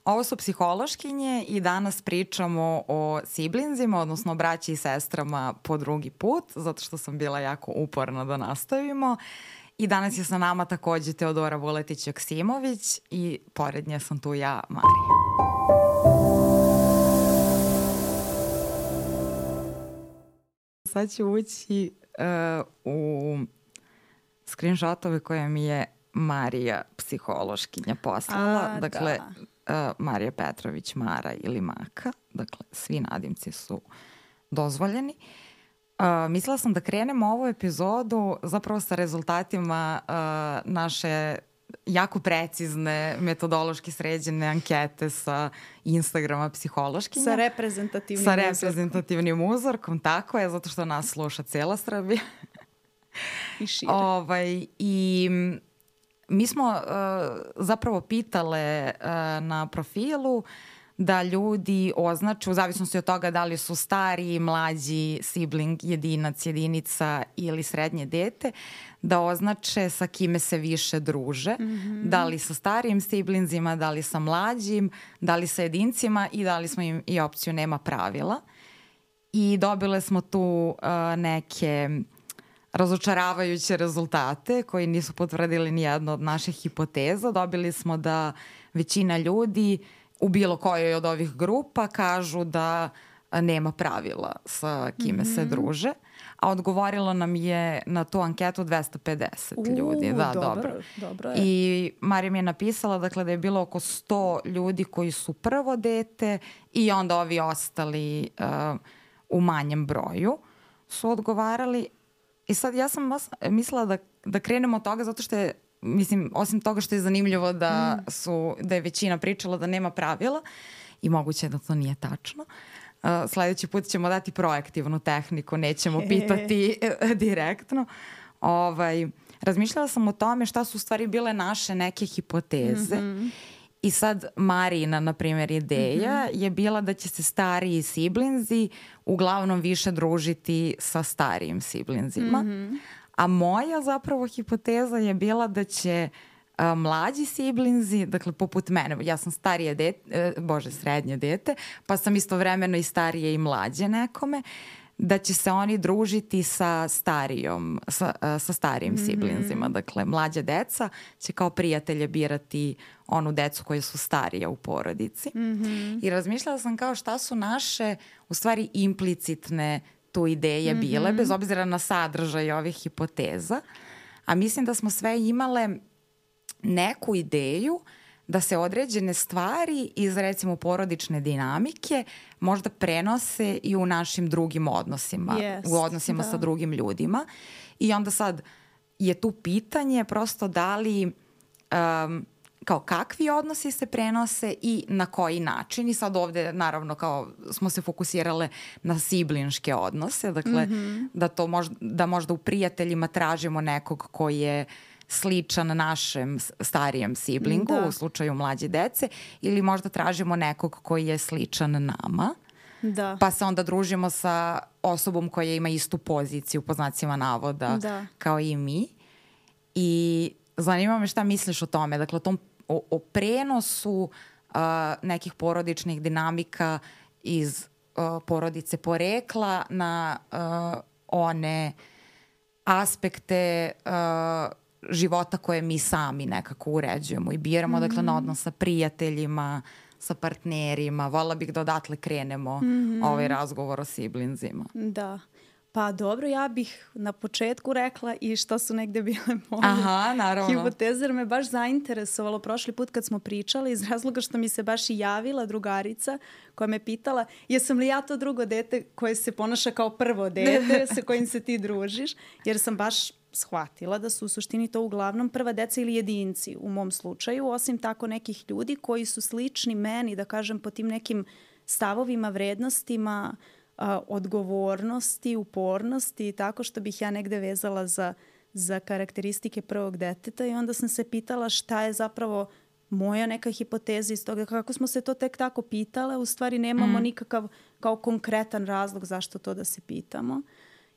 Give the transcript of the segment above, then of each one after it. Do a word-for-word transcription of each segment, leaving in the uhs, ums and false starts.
Ovo su psihološkinje i danas pričamo o siblingzima, odnosno braći i sestrama po drugi put, zato što sam bila jako uporna da nastavimo. I danas je sa nama takođe Teodora Vuletić-Joksimović i pored nje sam tu ja, Marija. Sad ću ući uh, u screenshotove koje mi je Marija, psihološkinja, poslala. A, dakle, da. uh, Marija Petrović, Mara ili Maka. Dakle, svi nadimci su dozvoljeni. Uh, mislila sam da krenemo ovu epizodu zapravo sa rezultatima uh, naše jako precizne, metodološki sređene ankete sa Instagrama psihološkinja. Sa reprezentativnim Sa uzorkom. reprezentativnim uzorkom, tako je, zato što nas sluša cijela Srbija. I šire. Ovaj, I mi smo uh, zapravo pitale uh, na profilu da ljudi označe, u zavisnosti od toga da li su stariji, mlađi, sibling, jedinac, jedinica ili srednje dete, da označe sa kime se više druže. Mm-hmm. Da li sa starijim siblingzima, da li sa mlađim, da li sa jedincima i dali smo im i opciju nema pravila. I dobile smo tu uh, neke razočaravajuće rezultate koji nisu potvrdili ni jedno od naših hipoteza. Dobili smo da većina ljudi u bilo kojoj od ovih grupa kažu da nema pravila sa kime mm-hmm. se druže. A odgovorilo nam je na tu anketu dvesta pedeset U, ljudi. Da, dobro, dobro. dobro je. I Marija mi je napisala dakle, da je bilo oko sto ljudi koji su prvo dete i onda ovi ostali uh, u manjem broju su odgovarali. I sad ja sam mislila da, da krenemo od toga zato što je, mislim, osim toga što je zanimljivo da, su, da je većina pričala da nema pravila i moguće da to nije tačno. Uh, sledeći put ćemo dati proaktivnu tehniku, nećemo pitati direktno. Ovaj, razmišljala sam o tome šta su u stvari bile naše neke hipoteze. Mm-hmm. I sad Marina, na primjer, ideja mm-hmm. je bila da će se stariji siblingzi uglavnom više družiti sa starijim siblingzima. Mm-hmm. A moja zapravo hipoteza je bila da će a, mlađi siblingzi, dakle poput mene, ja sam starije dete, e, bože, srednje dete, pa sam istovremeno i starije i mlađe nekome, da će se oni družiti sa starijom, sa, sa starijim mm-hmm. siblingzima. Dakle, mlađa deca će kao prijatelje birati onu decu koje su starije u porodici. Mm-hmm. I razmišljala sam kao šta su naše, u stvari, implicitne tu ideje mm-hmm. bile, bez obzira na sadržaj ovih hipoteza. A mislim da smo sve imale neku ideju da se određene stvari iz, recimo, porodične dinamike možda prenose i u našim drugim odnosima, yes, u odnosima da. sa drugim ljudima. I onda sad je tu pitanje prosto da li, um, kao kakvi odnosi se prenose i na koji način. I sad ovde, naravno, kao smo se fokusirale na siblinške odnose, dakle, mm-hmm. da, to možda, da možda u prijateljima tražimo nekog koji je sličan našem starijem siblingu, da. U slučaju mlađe dece, ili možda tražimo nekog koji je sličan nama, da. Pa se onda družimo sa osobom koja ima istu poziciju, po znacima navoda, da. Kao i mi. I zanima me šta misliš o tome, dakle o tom o, o prenosu uh, nekih porodičnih dinamika iz uh, porodice porekla na uh, one aspekte uh, života koje mi sami nekako uređujemo i biramo, mm-hmm. dakle, na odnos sa prijateljima, sa partnerima. Voljela bih da odatle krenemo mm-hmm. ovaj razgovor o siblingzima. Da. Pa dobro, ja bih na početku rekla i što su negde bile moje Aha, naravno. hipoteze, jer me baš zainteresovalo prošli put kad smo pričali, iz razloga što mi se baš i javila drugarica koja me pitala jesam li ja to drugo dete koje se ponaša kao prvo dete sa kojim se ti družiš, jer sam baš shvatila da su u suštini to uglavnom prva deca ili jedinci u mom slučaju, osim tako nekih ljudi koji su slični meni, da kažem, po tim nekim stavovima, vrednostima, a, odgovornosti, upornosti i tako, što bih ja negde vezala za, za karakteristike prvog deteta. I onda sam se pitala šta je zapravo moja neka hipoteza iz toga, kako smo se to tek tako pitale, u stvari nemamo mm. nikakav kao konkretan razlog zašto to da se pitamo.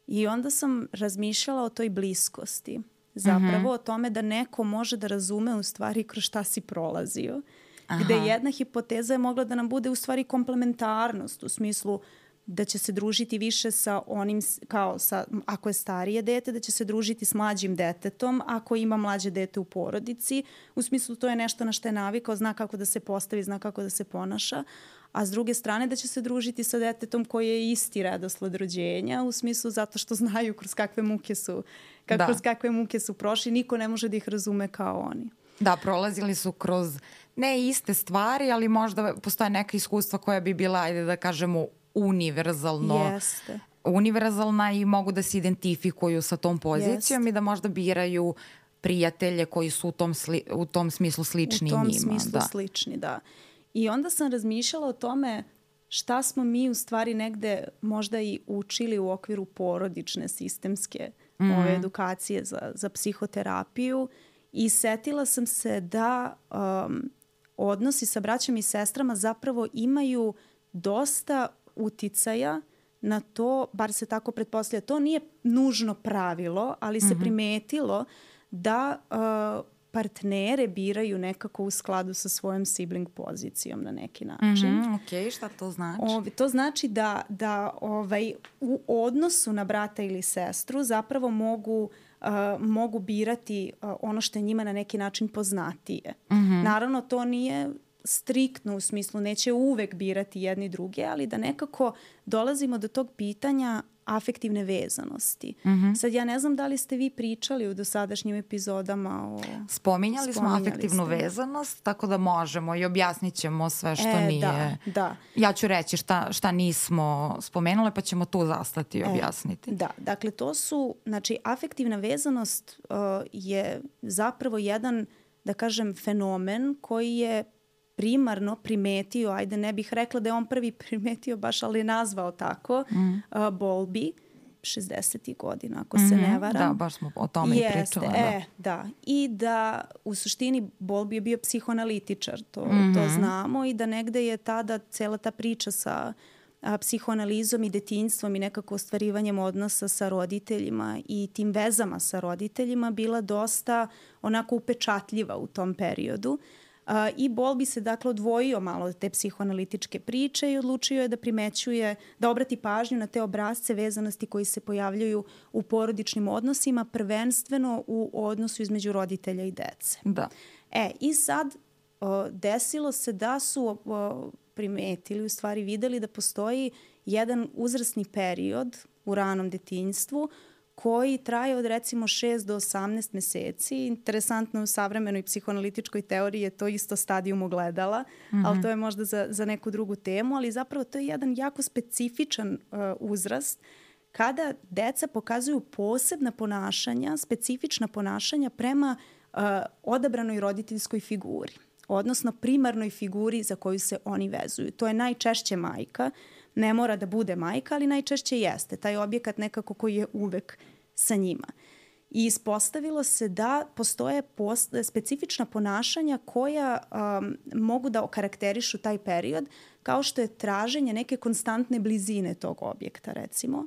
I onda sam razmišljala o toj bliskosti. Zapravo mm-hmm. o tome da neko može da razume u stvari kroz šta si prolazio. Aha. Gde jedna hipoteza je mogla da nam bude u stvari komplementarnost u smislu da će se družiti više sa onim, kao sa, ako je starije dete, da će se družiti s mlađim detetom, ako ima mlađe dete u porodici. U smislu to je nešto na što je navikao, zna kako da se postavi, zna kako da se ponaša. A s druge strane da će se družiti sa detetom koji je isti redosled rođenja, u smislu zato što znaju kroz kakve muke su, kako, da. kroz kakve muke su prošli. Niko ne može da ih razume kao oni. Da, prolazili su kroz ne iste stvari, ali možda postoje neka iskustva koja bi bila, ajde da kažemo, univerzalno, Jeste. univerzalna i mogu da se identifikuju sa tom pozicijom Jeste. I da možda biraju prijatelje koji su u tom, sli, u tom smislu slični njima. U tom njima, smislu da. slični, da. I onda sam razmišljala o tome šta smo mi u stvari negde možda i učili u okviru porodične sistemske mm. ove edukacije za, za psihoterapiju i setila sam se da um, odnosi sa braćom i sestrama zapravo imaju dosta uticaja na to, bar se tako pretpostavlja, to nije nužno pravilo, ali se mm-hmm. primetilo da uh, partnere biraju nekako u skladu sa svojom sibling pozicijom na neki način. Mm-hmm, ok, šta to znači? Ove, to znači da, da ovaj, u odnosu na brata ili sestru zapravo mogu, uh, mogu birati uh, ono što je njima na neki način poznatije. Mm-hmm. Naravno, to nije striktno u smislu neće uvek birati jedni druge, ali da nekako dolazimo do tog pitanja afektivne vezanosti. Mm-hmm. Sad ja ne znam da li ste vi pričali u dosadašnjim epizodama o... Spominjali, Spominjali smo afektivnu ste. vezanost, tako da možemo i objasnit ćemo sve što e, nije. Da, da. Ja ću reći šta, šta nismo spomenule, pa ćemo tu zastati i objasniti. E, da, dakle to su, znači afektivna vezanost uh, je zapravo jedan, da kažem, fenomen koji je primarno primetio, ajde ne bih rekla da je on prvi primetio baš, ali je nazvao tako, mm. uh, Bowlby, šezdesetih godina, ako mm-hmm. se ne varam. Da, baš smo o tome Jeste, i pričali. E, da. da. I da u suštini Bowlby je bio psihoanalitičar, to, mm-hmm. to znamo, i da negde je tada cela ta priča sa a, psihoanalizom i detinjstvom i nekako ostvarivanjem odnosa sa roditeljima i tim vezama sa roditeljima bila dosta onako upečatljiva u tom periodu. Uh, I Bowlby se dakle odvojio malo od te psihoanalitičke priče i odlučio je da primećuje, da obrati pažnju na te obrasce vezanosti koji se pojavljaju u porodičnim odnosima, prvenstveno u odnosu između roditelja i dece. Da. E, i sad uh, desilo se da su uh, primetili, u stvari videli da postoji jedan uzrasni period u ranom detinjstvu koji traje od recimo šest do osamnaest meseci. Interesantno u savremenoj psihoanalitičkoj teoriji je to isto stadijum ogledala, mm-hmm. ali to je možda za, za neku drugu temu, ali zapravo to je jedan jako specifičan uh, uzrast kada deca pokazuju posebna ponašanja, specifična ponašanja prema uh, odabranoj roditeljskoj figuri, odnosno primarnoj figuri za koju se oni vezuju. To je najčešće majka. Ne mora da bude majka, ali najčešće jeste. Taj objekat nekako koji je uvek sa njima. I ispostavilo se da postoje post, specifična ponašanja koja um, mogu da okarakterišu taj period, kao što je traženje neke konstantne blizine tog objekta, recimo.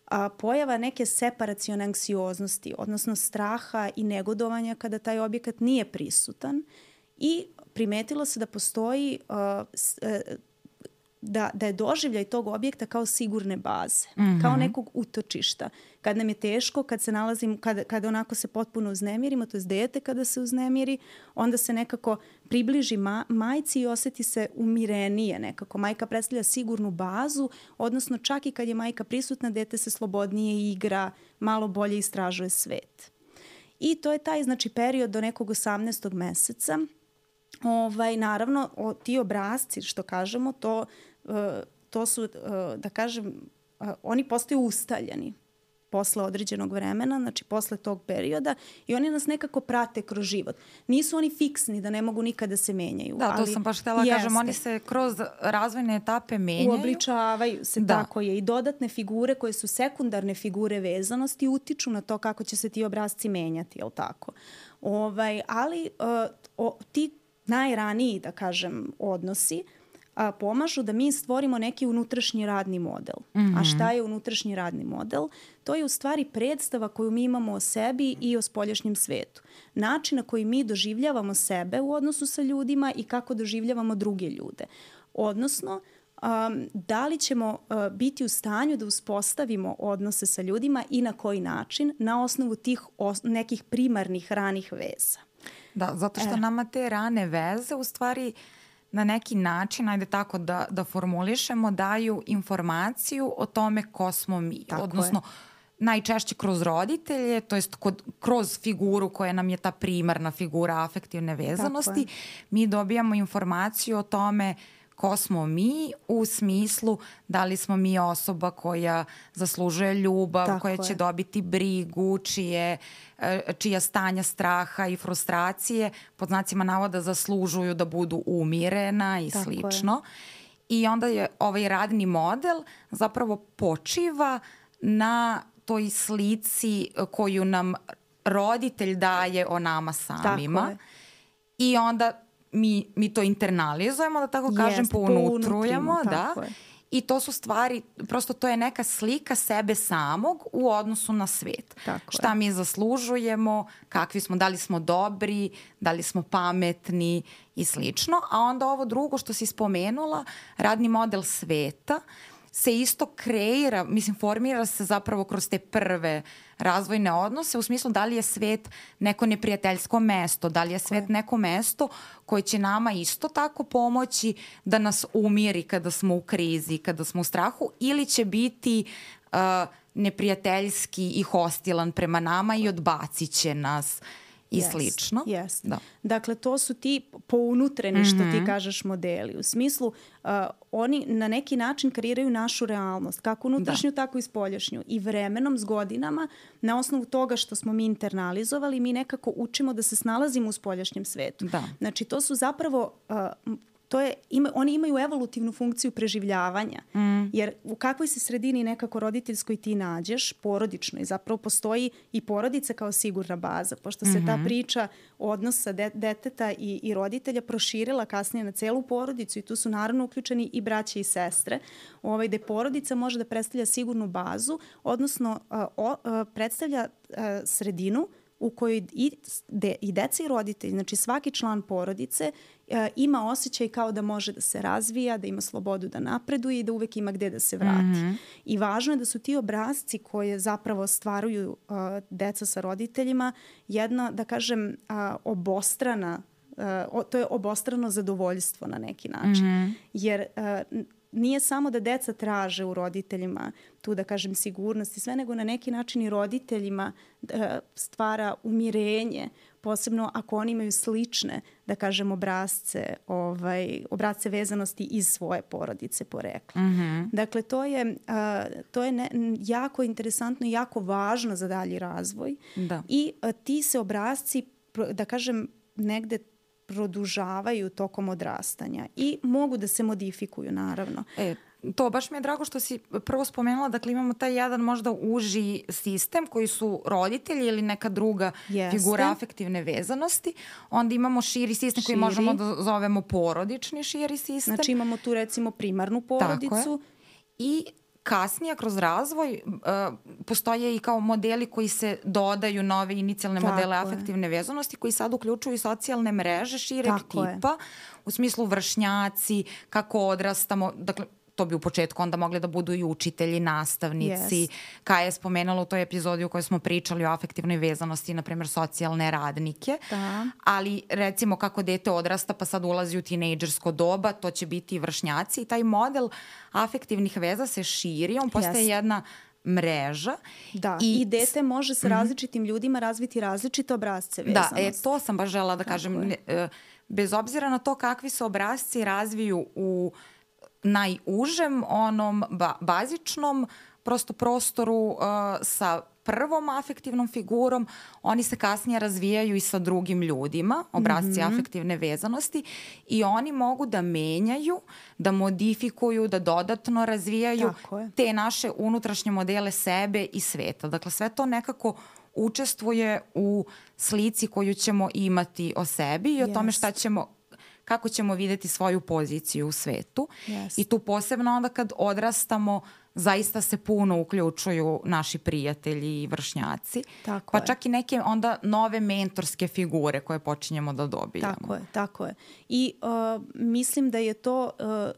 A, pojava neke separacione anksioznosti, odnosno straha i negodovanja kada taj objekat nije prisutan. I primetilo se da postoji uh, s, uh, Da, da je doživljaj tog objekta kao sigurne baze, mm-hmm. kao nekog utočišta. Kad nam je teško, kad se nalazimo, kad, kad onako se potpuno uznemirimo, to je dete kada se uznemiri, onda se nekako približi ma, majci i oseti se umirenije nekako. Majka predstavlja sigurnu bazu, odnosno čak i kad je majka prisutna, dete se slobodnije igra, malo bolje istražuje svet. I to je taj, znači, period do nekog osamnaestog meseca. Ovaj, naravno, o, ti obrasci, što kažemo, to, uh, to su, uh, da kažem, uh, oni postaju ustaljeni posle određenog vremena, znači posle tog perioda, i oni nas nekako prate kroz život. Nisu oni fiksni da ne mogu nikada da se menjaju. Da, to ali sam baš htjela kažem, oni se kroz razvojne etape menjaju. Uobličavaju se, da. Tako je. I dodatne figure koje su sekundarne figure vezanosti utiču na to kako će se ti obrasci menjati, je li tako? Ovaj, ali uh, o, ti najraniji, da kažem, odnosi a, pomažu da mi stvorimo neki unutrašnji radni model. Mm-hmm. A šta je unutrašnji radni model? To je u stvari predstava koju mi imamo o sebi i o spoljašnjem svetu. Način na koji mi doživljavamo sebe u odnosu sa ljudima i kako doživljavamo druge ljude. Odnosno, Um, da li ćemo uh, biti u stanju da uspostavimo odnose sa ljudima i na koji način na osnovu tih os- nekih primarnih ranih veza. Da, zato što e. nama te rane veze u stvari na neki način, ajde tako da, da formulišemo, daju informaciju o tome ko smo mi. Tako Odnosno, je. Najčešće kroz roditelje, to jest kod, kroz figuru koja nam je ta primarna figura afektivne vezanosti, mi dobijamo informaciju o tome ko smo mi u smislu da li smo mi osoba koja zaslužuje ljubav, tako koja je. će dobiti brigu, čije, čija stanja straha i frustracije pod znacima navoda zaslužuju da budu umirena i tako slično. Je. I onda je ovaj radni model zapravo počiva na toj slici koju nam roditelj daje o nama samima. I onda Mi, mi to internalizujemo, da tako kažem, Jest, pounutrujemo. Da. Je. I to su stvari, prosto to je neka slika sebe samog u odnosu na svet. Tako Šta je. mi zaslužujemo, kakvi smo, da li smo dobri, da li smo pametni i slično. A onda ovo drugo što si spomenula, radni model sveta, se isto kreira, mislim, formira se zapravo kroz te prve razvojne odnose u smislu da li je svet neko neprijateljsko mesto, da li je svet neko mesto koje će nama isto tako pomoći da nas umiri kada smo u krizi, kada smo u strahu, ili će biti uh, neprijateljski i hostilan prema nama i odbacit će nas i yes, slično. Yes. Da. Dakle, to su ti pounutreni, što mm-hmm. ti kažeš, modeli. U smislu, uh, oni na neki način kreiraju našu realnost, kako unutrašnju, da. tako i spoljašnju. I vremenom, s godinama, na osnovu toga što smo mi internalizovali, mi nekako učimo da se snalazimo u spoljašnjem svetu. Da. Znači, to su zapravo... Uh, To je, ima, oni imaju evolutivnu funkciju preživljavanja. Mm. Jer u kakvoj se sredini nekako roditeljskoj ti nađeš, porodičnoj, zapravo postoji i porodica kao sigurna baza, pošto se mm-hmm. ta priča odnosa de, deteta i, i roditelja proširila kasnije na celu porodicu i tu su naravno uključeni i braće i sestre, ovaj, gde porodica može da predstavlja sigurnu bazu, odnosno a, o, a, predstavlja a, sredinu u kojoj i, de, i deca i roditelji, znači svaki član porodice e, ima osjećaj kao da može da se razvija, da ima slobodu da napreduje i da uvek ima gde da se vrati. Mm-hmm. I važno je da su ti obrasci koje zapravo stvaruju uh, deca sa roditeljima jedna, da kažem, uh, obostrana, uh, o, to je obostrano zadovoljstvo na neki način. Mm-hmm. Jer uh, nije samo da deca traže u roditeljima tu, da kažem, sigurnost i sve, nego na neki način i roditeljima stvara umirenje, posebno ako oni imaju slične, da kažem, obrazce, ovaj, obrazce vezanosti iz svoje porodice porekla. Mm-hmm. Dakle, to je, uh, to je ne, jako interesantno i jako važno za dalji razvoj. Da. I uh, ti se obrazci, da kažem, negde produžavaju tokom odrastanja i mogu da se modifikuju, naravno. E, to baš mi je drago što si prvo spomenula, dakle imamo taj jedan možda uži sistem koji su roditelji ili neka druga Jeste. figura afektivne vezanosti. Onda imamo širi sistem širi. koji možemo da zovemo porodični širi sistem. Znači imamo tu recimo primarnu porodicu. I kasnije, kroz razvoj, uh, postoje i kao modeli koji se dodaju, nove inicijalne Tako modele afektivne vezanosti, koji sad uključuju i socijalne mreže šireg Tako tipa, je. u smislu vršnjaci, kako odrastamo, dakle, to bi u početku onda mogli da budu i učitelji, nastavnici. Yes. Kaja je spomenula u toj epizodi u kojoj smo pričali o afektivnoj vezanosti, na primjer socijalne radnike. Da. Ali recimo kako dete odrasta pa sad ulazi u tinejdžersko doba, to će biti i vršnjaci. I taj model afektivnih veza se širi, on postaje yes. jedna mreža. Da, i, i dete može sa različitim mm-hmm. ljudima razviti različite obrazce vezanosti. Da, e, to sam baš žela da Tako kažem. Ne, bez obzira na to kakvi se obrazci razviju u najužem, onom ba- bazičnom prosto prostoru uh, sa prvom afektivnom figurom, oni se kasnije razvijaju i sa drugim ljudima, obrazci mm-hmm. afektivne vezanosti, i oni mogu da menjaju, da modifikuju, da dodatno razvijaju te naše unutrašnje modele sebe i sveta. Dakle, sve to nekako učestvuje u slici koju ćemo imati o sebi i o yes. tome šta ćemo, kako ćemo videti svoju poziciju u svetu. Yes. I tu posebno onda kad odrastamo zaista se puno uključuju naši prijatelji i vršnjaci. Tako pa je. čak i neke onda nove mentorske figure koje počinjemo da dobijamo. Tako je, tako je. I uh, mislim da je to uh,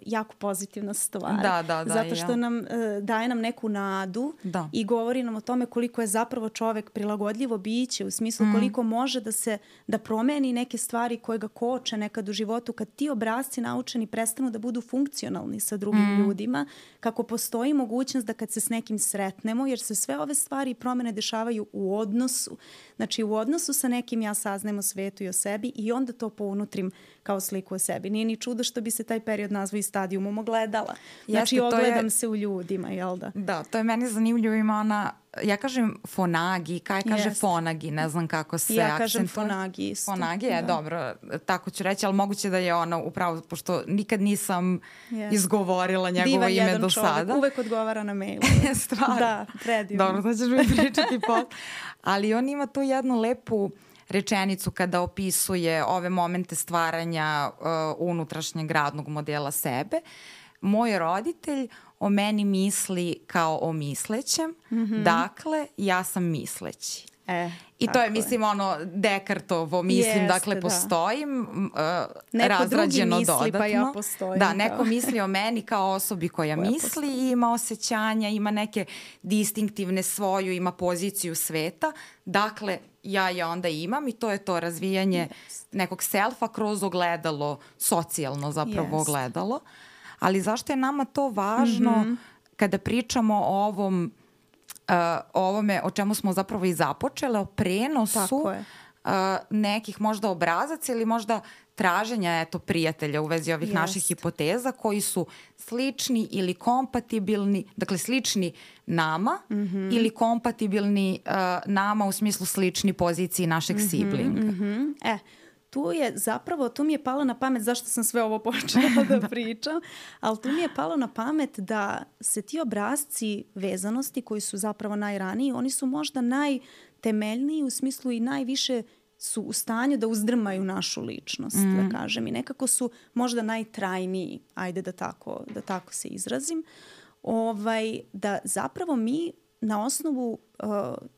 jako pozitivna stvar. Da, da, da. Zato što ja. nam uh, daje nam neku nadu da. i govori nam o tome koliko je zapravo čovek prilagodljivo biće, u smislu mm. koliko može da se da promeni neke stvari koje ga koče nekad u životu, kad ti obrasci naučeni prestanu da budu funkcionalni sa drugim mm. ljudima, kako postoji mogućnost da kad se s nekim sretnemo, jer se sve ove stvari i promene dešavaju u odnosu. Znači u odnosu sa nekim ja saznajem o svetu i o sebi i onda to pounutrim kao sliku o sebi. Nije ni čudo što bi se taj period nazvao i stadijumom ogledala. Znači Jeste, ogledam je, se u ljudima, jel da? Da, to je meni zanimljivo, ima ona, ja kažem fonagi, kaj kaže Jest. fonagi, ne znam kako se ja akcentuje. kažem fonagi isto. Fonagi je, da. Dobro, tako ću reći, ali moguće da je ona upravo, pošto nikad nisam yes. izgovorila njegovo Divan ime jedan do čovjek, sada. Uvek odgovara na mailu. Stvarno. Da, predivno. Dobro, to ćeš mi pričati pot. Ali on ima tu jednu lepu rečenicu kada opisuje ove momente stvaranja uh, unutrašnjeg radnog modela sebe. Moj roditelj o meni misli kao o mislećem, mm-hmm. dakle, ja sam misleći. E, I to je, mislim, je. ono, Dekartovo, mislim, Jeste, dakle, postojim, uh, neko razrađeno misli, dodatno. Pa ja postojim. Da, neko misli o meni kao osobi koja, koja misli postoji. I ima osjećanja, ima neke distinktivne svoju, ima poziciju sveta. Dakle, ja je onda imam i to je to razvijanje yes. nekog selfa kroz ogledalo, socijalno zapravo yes. ogledalo. Ali zašto je nama to važno mm-hmm. kada pričamo o ovom Uh, o ovome o čemu smo zapravo i započele, o prenosu uh, nekih možda obrazaca ili možda traženja eto, prijatelja u vezi ovih Jest. naših hipoteza koji su slični ili kompatibilni, dakle slični nama mm-hmm. ili kompatibilni uh, nama u smislu slični poziciji našeg mm-hmm, siblinga. Mm-hmm. E, tu je zapravo, tu mi je palo na pamet, zašto sam sve ovo počela da pričam, ali tu mi je palo na pamet da se ti obrasci vezanosti koji su zapravo najraniji, oni su možda najtemeljniji u smislu i najviše su u stanju da uzdrmaju našu ličnost, mm. da kažem. I nekako su možda najtrajniji, ajde da tako, da tako se izrazim, ovaj, da zapravo mi na osnovu uh,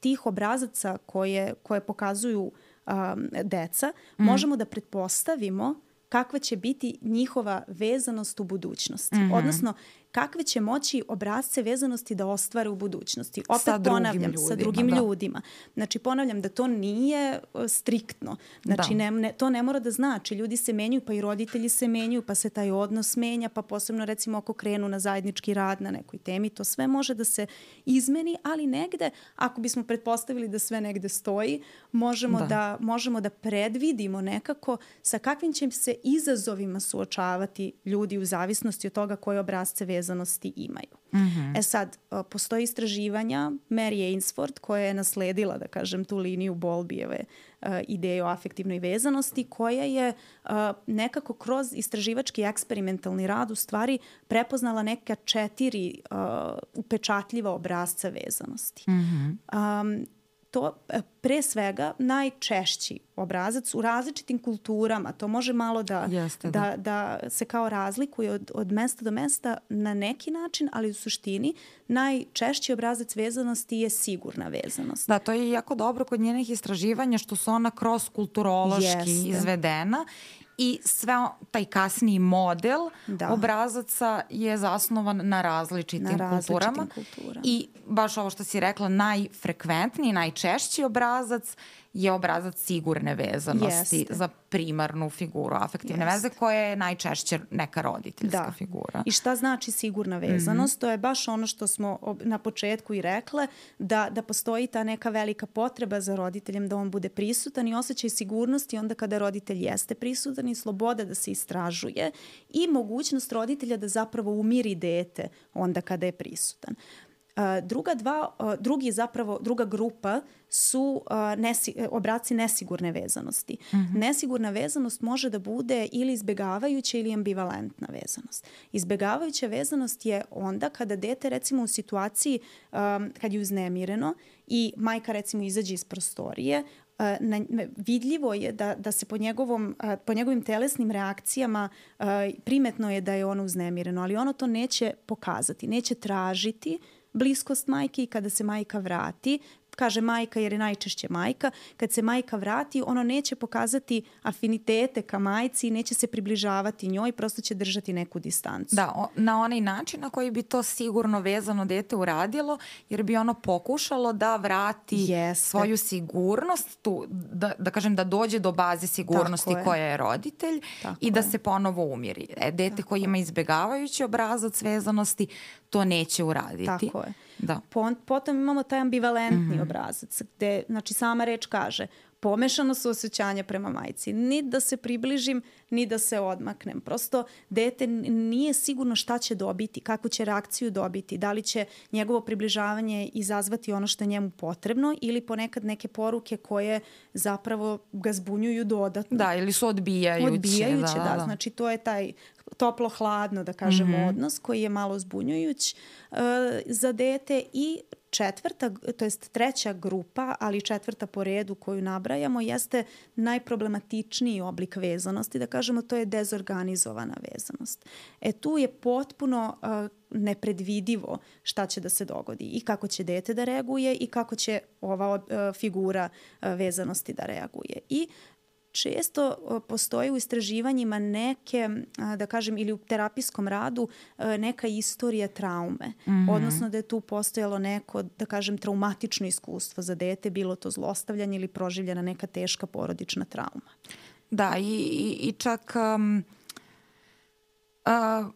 tih obrazaca koje, koje pokazuju Um, deca, mm. možemo da pretpostavimo kakva će biti njihova vezanost u budućnosti. Mm-hmm. Odnosno, kakve će moći obrazce vezanosti da ostvare u budućnosti. Opet sa ponavljam, ljudima, sa drugim da. ljudima. Znači, ponavljam da to nije striktno. Znači, ne, ne, to ne mora da znači. Ljudi se menjaju, pa i roditelji se menjaju, pa se taj odnos menja, pa posebno recimo ako krenu na zajednički rad na nekoj temi, to sve može da se izmeni, ali negde, ako bismo pretpostavili da sve negde stoji, možemo da, da, možemo da predvidimo nekako sa kakvim će se izazovima suočavati ljudi u zavisnosti od toga koje obrazce vezanosti imaju. Mm-hmm. E sad, postoji istraživanja Mary Ainsworth koja je nasledila, da kažem, tu liniju Bowlbyjeve uh, ideje o afektivnoj vezanosti, koja je uh, nekako kroz istraživački eksperimentalni rad u stvari prepoznala neka četiri uh, upečatljiva obrazca vezanosti. Mm-hmm. Um, to pre svega najčešći obrazac u različitim kulturama, to može malo da, Jeste, da. Da, da se kao razlikuje od, od mesta do mesta na neki način, ali u suštini najčešći obrazac vezanosti je sigurna vezanost. Da, to je jako dobro kod njenih istraživanja što su ona kroz kulturološki Jeste. izvedena i sve taj kasniji model da. obrazaca je zasnovan na različitim, na različitim kulturama. kulturama. I baš ovo što si rekla, najfrekventniji, najčešći obrazac je obrazac sigurne vezanosti Jeste. za primarnu figuru afektivne Jeste. veze koja je najčešće neka roditeljska da. figura. I šta znači sigurna vezanost? Mm-hmm. To je baš ono što smo na početku i rekle, da, da postoji ta neka velika potreba za roditeljem da on bude prisutan i osjećaj sigurnosti onda kada roditelj jeste prisutan i sloboda da se istražuje i mogućnost roditelja da zapravo umiri dete onda kada je prisutan. Uh, druga dva, uh, drugi zapravo, druga grupa su uh, nesi, obraci nesigurne vezanosti. Mm-hmm. Nesigurna vezanost može da bude ili izbegavajuća ili ambivalentna vezanost. Izbegavajuća vezanost je onda kada dete recimo u situaciji um, kad je uznemireno i majka recimo izađe iz prostorije, na, vidljivo je da, da se po, njegovom, po njegovim telesnim reakcijama primetno je da je ono uznemireno, ali ono to neće pokazati, neće tražiti bliskost majke i kada se majka vrati, kaže majka jer je najčešće majka, kad se majka vrati, ono neće pokazati afinitete ka majci i neće se približavati njoj, prosto će držati neku distancu. Da, o, na onaj način na koji bi to sigurno vezano dete uradilo, jer bi ono pokušalo da vrati Jeste. svoju sigurnost, tu, da, da kažem da dođe do baze sigurnosti je. koja je roditelj Tako i da je. se ponovo umiri. E, dete Tako koje ima izbjegavajući obrazac vezanosti, to neće uraditi. Tako je. Da. Potom imamo taj ambivalentni mm-hmm. obrazac gde, znači sama reč kaže, pomešano su osjećanja prema majci. Ni da se približim, ni da se odmaknem. Prosto dete nije sigurno šta će dobiti, kakvu će reakciju dobiti, da li će njegovo približavanje izazvati ono što je njemu potrebno ili ponekad neke poruke koje zapravo ga zbunjuju dodatno. Da, ili su odbijajuće. Odbijajuće, da, da. da. Znači to je taj toplo-hladno, da kažemo, mm-hmm. odnos koji je malo zbunjujuć uh, za dete i četvrta, to jest treća grupa, ali četvrta po redu koju nabrajamo, jeste najproblematičniji oblik vezanosti, da kažemo to je dezorganizovana vezanost. E tu je potpuno uh, nepredvidivo šta će da se dogodi i kako će dete da reaguje i kako će ova uh, figura uh, vezanosti da reaguje. I često postoji u istraživanjima neke, da kažem, ili u terapijskom radu neka istorija traume. Mm-hmm. Odnosno da je tu postojalo neko, da kažem, traumatično iskustvo za dete, bilo to zlostavljanje ili proživljena neka teška porodična trauma. Da, i, i, i čak um, uh,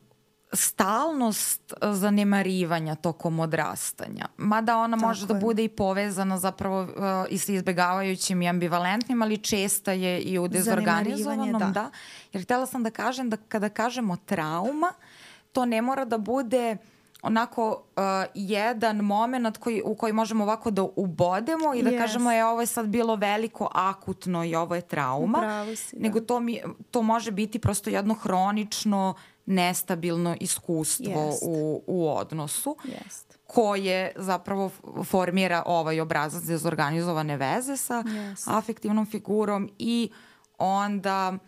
stalnost zanemarivanja tokom odrastanja. Mada ona Tako može je. da bude i povezana zapravo uh, i sa izbjegavajućim i ambivalentnim, ali česta je i u dezorganizovanom. Da. Da. Jer htjela sam da kažem da kada kažemo trauma, to ne mora da bude onako uh, jedan moment koji, u koji možemo ovako da ubodemo i da yes. kažemo je ovo je sad bilo veliko, akutno i ovo je trauma. Si, nego to, mi, to može biti prosto jedno hronično nestabilno iskustvo u, u odnosu Jest. koje zapravo formira ovaj obrazac dezorganizovane veze sa Jest. afektivnom figurom i onda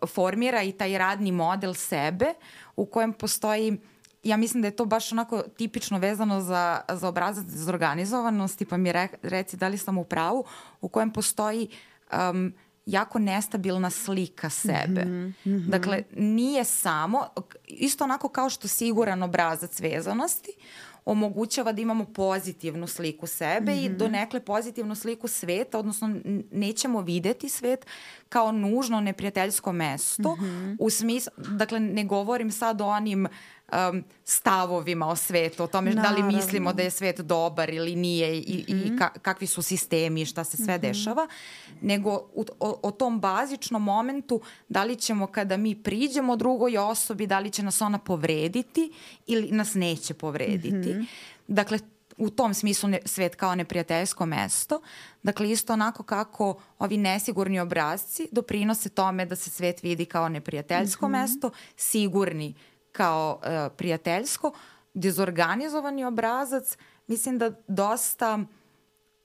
formira i taj radni model sebe u kojem postoji, ja mislim da je to baš onako tipično vezano za, za obrazac dezorganizovanosti, pa mi re, reci da li sam u pravu, u kojem postoji um, jako nestabilna slika sebe. Mm-hmm, mm-hmm. Dakle, nije samo, isto onako kao što siguran obrazac vezanosti omogućava da imamo pozitivnu sliku sebe mm-hmm. i donekle pozitivnu sliku sveta, odnosno nećemo videti svet kao nužno neprijateljsko mesto. Mm-hmm. U smislu, dakle, ne govorim sad o onim um, stavovima o svetu, o tome Naravno. da li mislimo da je svet dobar ili nije i, mm-hmm. i ka, kakvi su sistemi i šta se sve mm-hmm. dešava, nego u, o, o tom bazičnom momentu da li ćemo kada mi priđemo drugoj osobi, da li će nas ona povrediti ili nas neće povrediti. Mm-hmm. Dakle, u tom smislu ne, svet kao neprijateljsko mesto. Dakle, isto onako kako ovi nesigurni obrazci doprinose tome da se svet vidi kao neprijateljsko mm-hmm. mesto, sigurni kao uh, prijateljsko, dezorganizovani obrazac, mislim da dosta,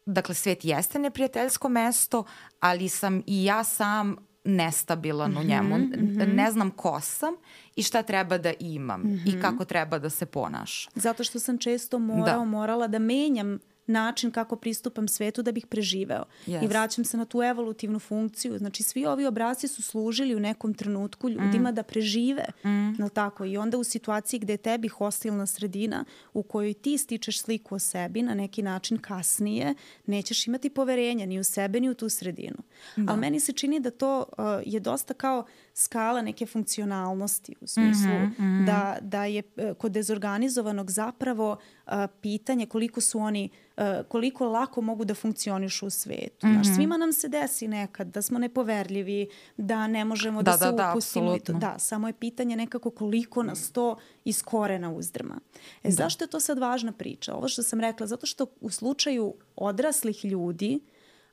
dakle, svet jeste neprijateljsko mesto, ali sam i ja sam nestabilan mm-hmm, u njemu. Mm-hmm. Ne znam ko sam i šta treba da imam mm-hmm. i kako treba da se ponašam. Zato što sam često morao, da. morala da menjam način kako pristupam svetu da bih preživeo. Yes. I vraćam se na tu evolutivnu funkciju. Znači, svi ovi obrasci su služili u nekom trenutku ljudima mm. da prežive. Mm. Tako? I onda u situaciji gde je tebi hostilna sredina u kojoj ti stičeš sliku o sebi na neki način kasnije, nećeš imati poverenja ni u sebe ni u tu sredinu. Da. Ali meni se čini da to uh, je dosta kao skala neke funkcionalnosti u smislu mm-hmm, mm-hmm. Da, da je uh, kod dezorganizovanog zapravo uh, pitanje koliko su oni uh, koliko lako mogu da funkcionišu u svetu. Mm-hmm. Znaš, svima nam se desi nekad da smo nepoverljivi, da ne možemo da, da se da, upustimo. Da, da, samo je pitanje nekako koliko nas to iz korena uzdrma. E, da. Zašto je to sad važna priča? Ovo što sam rekla, zato što u slučaju odraslih ljudi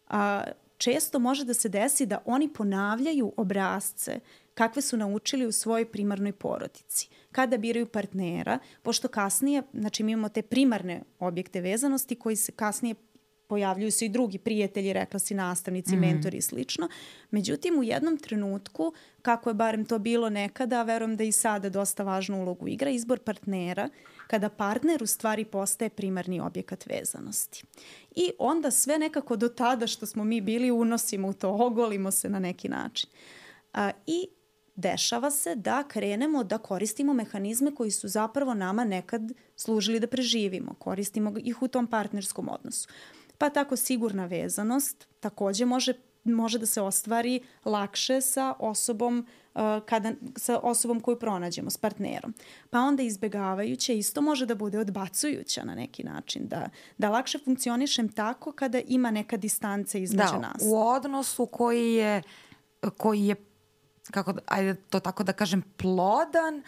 a, često može da se desi da oni ponavljaju obrasce kakve su naučili u svojoj primarnoj porodici. Kada biraju partnera, pošto kasnije, znači mi imamo te primarne objekte vezanosti koji se kasnije pojavljuju se i drugi prijatelji, rekla si nastavnici, mm. mentori i slično. Međutim, u jednom trenutku, kako je barem to bilo nekada, a verujem da i sada dosta važnu ulogu igra, izbor partnera, kada partner u stvari postaje primarni objekat vezanosti. I onda sve nekako do tada što smo mi bili unosimo u to, ogolimo se na neki način. A, I dešava se da krenemo da koristimo mehanizme koji su zapravo nama nekad služili da preživimo. Koristimo ih u tom partnerskom odnosu. Pa tako sigurna vezanost takođe može, može da se ostvari lakše sa osobom, uh, kada, sa osobom koju pronađemo, s partnerom. Pa onda izbegavajuće isto može da bude odbacujuća na neki način. Da, da lakše funkcionišem tako kada ima neka distanca između da, nas. Da, u odnosu koji je, koji je kako, ajde to tako da kažem, plodan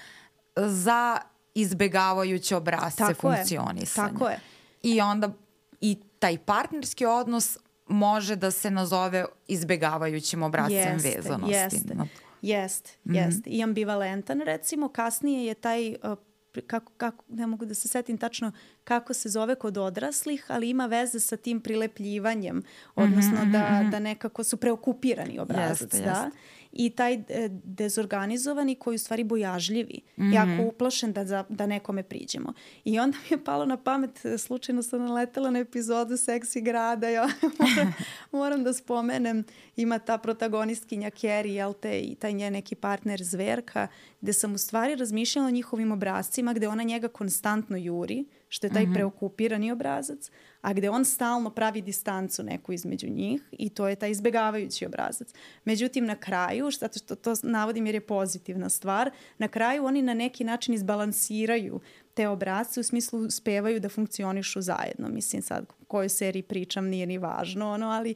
za izbegavajuće obrazce tako funkcionisanja. Je, tako je. I onda i taj partnerski odnos može da se nazove izbegavajućim obrazcem jeste, vezanosti. Jeste, jeste, mm-hmm. jeste. I ambivalentan, recimo, kasnije je taj, uh, kako, kako, ne mogu da se setim tačno kako se zove kod odraslih, ali ima veze sa tim prilepljivanjem, odnosno mm-hmm, da, mm-hmm. da nekako su preokupirani obrazac. Jeste, da? Jeste. I taj e, dezorganizovani koji u stvari bojažljivi, mm-hmm. jako uplašen da, za, da nekome priđemo. I onda mi je palo na pamet, slučajno sam naletela na epizodu Seksi grada, ja moram, moram da spomenem, ima ta protagonistkinja Carrie, jel te, i taj njen neki partner Zverka, gde sam u stvari razmišljala o njihovim obrazcima, gde ona njega konstantno juri, što je taj mm-hmm. preokupirani obrazac, a gde on stalno pravi distancu neku između njih i to je taj izbegavajući obrazac. Međutim, na kraju, zato što to navodim jer je pozitivna stvar, na kraju oni na neki način izbalansiraju te obrazce, u smislu uspevaju da funkcionišu zajedno. Mislim, sad o kojoj seriji pričam nije ni važno, ono, ali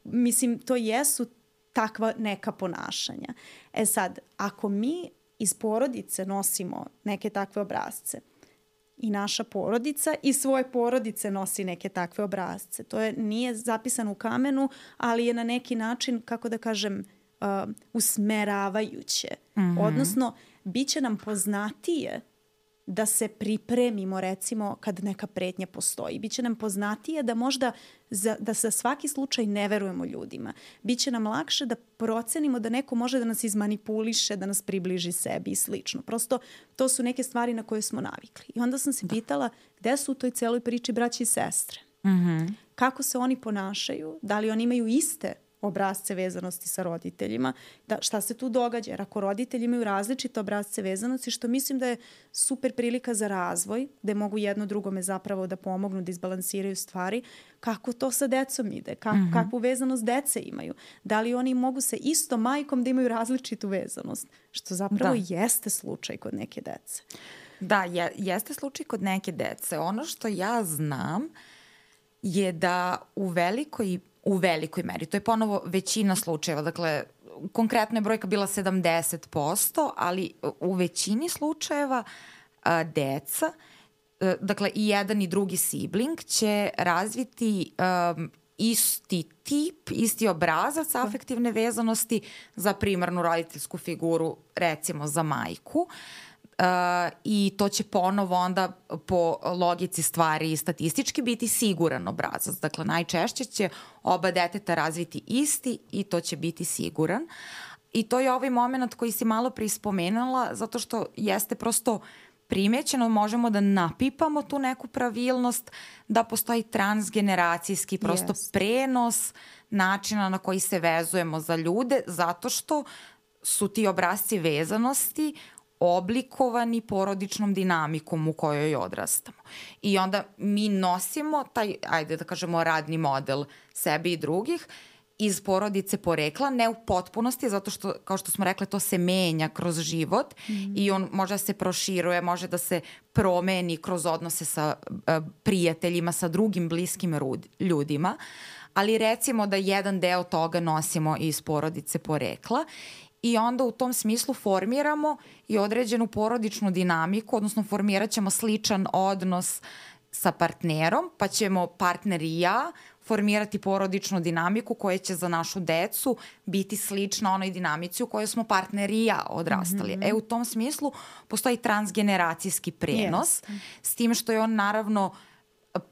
mislim, to jesu takva neka ponašanja. E sad, ako mi iz porodice nosimo neke takve obrazce, i naša porodica i svoje porodice nosi neke takve obrazce. To je, nije zapisano u kamenu, ali je na neki način, kako da kažem, uh, usmeravajuće. Mm-hmm. Odnosno, bit će nam poznatije da se pripremimo, recimo, kad neka pretnja postoji. Biće nam poznatije da možda za, da za svaki slučaj ne verujemo ljudima. Biće nam lakše da procenimo da neko može da nas izmanipuliše, da nas približi sebi i slično. Prosto, to su neke stvari na koje smo navikli. I onda sam se pitala gde su u toj celoj priči braći i sestre. Mm-hmm. Kako se oni ponašaju? Da li oni imaju iste obrazce vezanosti sa roditeljima, da šta se tu događa, jer ako roditelji imaju različite obrazce vezanosti, što mislim da je super prilika za razvoj, gde mogu jedno drugome zapravo da pomognu, da izbalansiraju stvari, kako to sa decom ide, Ka- mm-hmm. kakvu vezanost dece imaju, da li oni mogu sa istom majkom da imaju različitu vezanost, što zapravo da. jeste slučaj kod neke dece. Da, je, jeste slučaj kod neke dece. Ono što ja znam je da u velikoj U velikoj meri. To je ponovo većina slučajeva. Dakle, konkretno je brojka bila sedamdeset posto, ali u većini slučajeva a, deca, a, dakle i jedan i drugi sibling će razviti a, isti tip, isti obrazac afektivne vezanosti za primarnu roditeljsku figuru, recimo za majku. Uh, i to će ponovo onda po logici stvari i statistički biti siguran obrazac. Dakle, najčešće će oba deteta razviti isti i to će biti siguran. I to je ovaj moment koji si malo prispomenula, zato što jeste prosto primećeno, možemo da napipamo tu neku pravilnost, da postoji transgeneracijski prosto yes. prenos načina na koji se vezujemo za ljude, zato što su ti obrazci vezanosti oblikovani porodičnom dinamikom u kojoj odrastamo. I onda mi nosimo taj, ajde da kažemo, radni model sebi i drugih iz porodice porekla, ne u potpunosti, zato što, kao što smo rekli, to se menja kroz život mm. i on može da se proširuje, može da se promeni kroz odnose sa uh, prijateljima, sa drugim bliskim rud, ljudima, ali recimo da jedan deo toga nosimo iz porodice porekla i onda u tom smislu formiramo i određenu porodičnu dinamiku, odnosno formirat ćemo sličan odnos sa partnerom, pa ćemo partner i ja formirati porodičnu dinamiku koja će za našu decu biti slična onoj dinamici u kojoj smo partner i ja odrastali. Mm-hmm. E, u tom smislu postoji transgeneracijski prenos, yes. s tim što je on naravno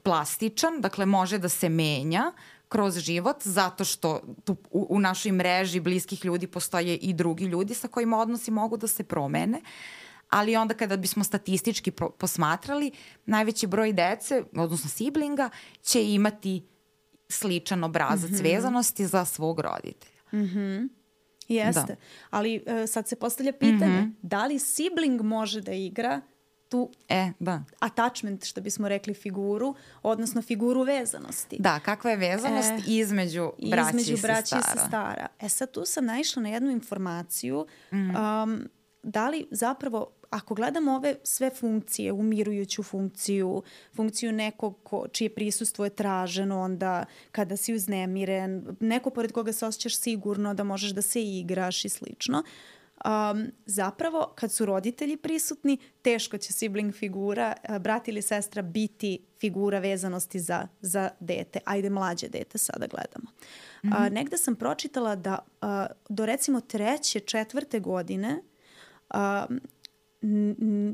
plastičan, dakle može da se menja kroz život, zato što tu u, u našoj mreži bliskih ljudi postoje i drugi ljudi sa kojima odnosi mogu da se promene, ali onda kada bismo statistički pro, posmatrali, najveći broj dece, odnosno siblinga, će imati sličan obrazac mm-hmm. vezanosti za svog roditelja. Mhm. Jeste, da. Ali uh, sad se postavlja pitanje, mm-hmm. da li sibling može da igra tu e, da. attachment, što bismo rekli, figuru, odnosno figuru vezanosti. Da, kakva je vezanost e, između braći između i braći sestara. i sestara. E sad tu sam naišla na jednu informaciju, mm-hmm. um, da li zapravo, ako gledamo ove sve funkcije, umirujuću funkciju, funkciju nekog ko, čije prisustvo je traženo, onda kada si uznemiren, neko pored koga se osjećaš sigurno da možeš da se igraš i slično, Um, zapravo, kad su roditelji prisutni, teško će sibling figura, brat ili sestra, biti figura vezanosti za, za dete. Ajde, mlađe dete sada gledamo. Mm-hmm. Uh, negde sam pročitala da uh, do recimo treće, četvrte godine um,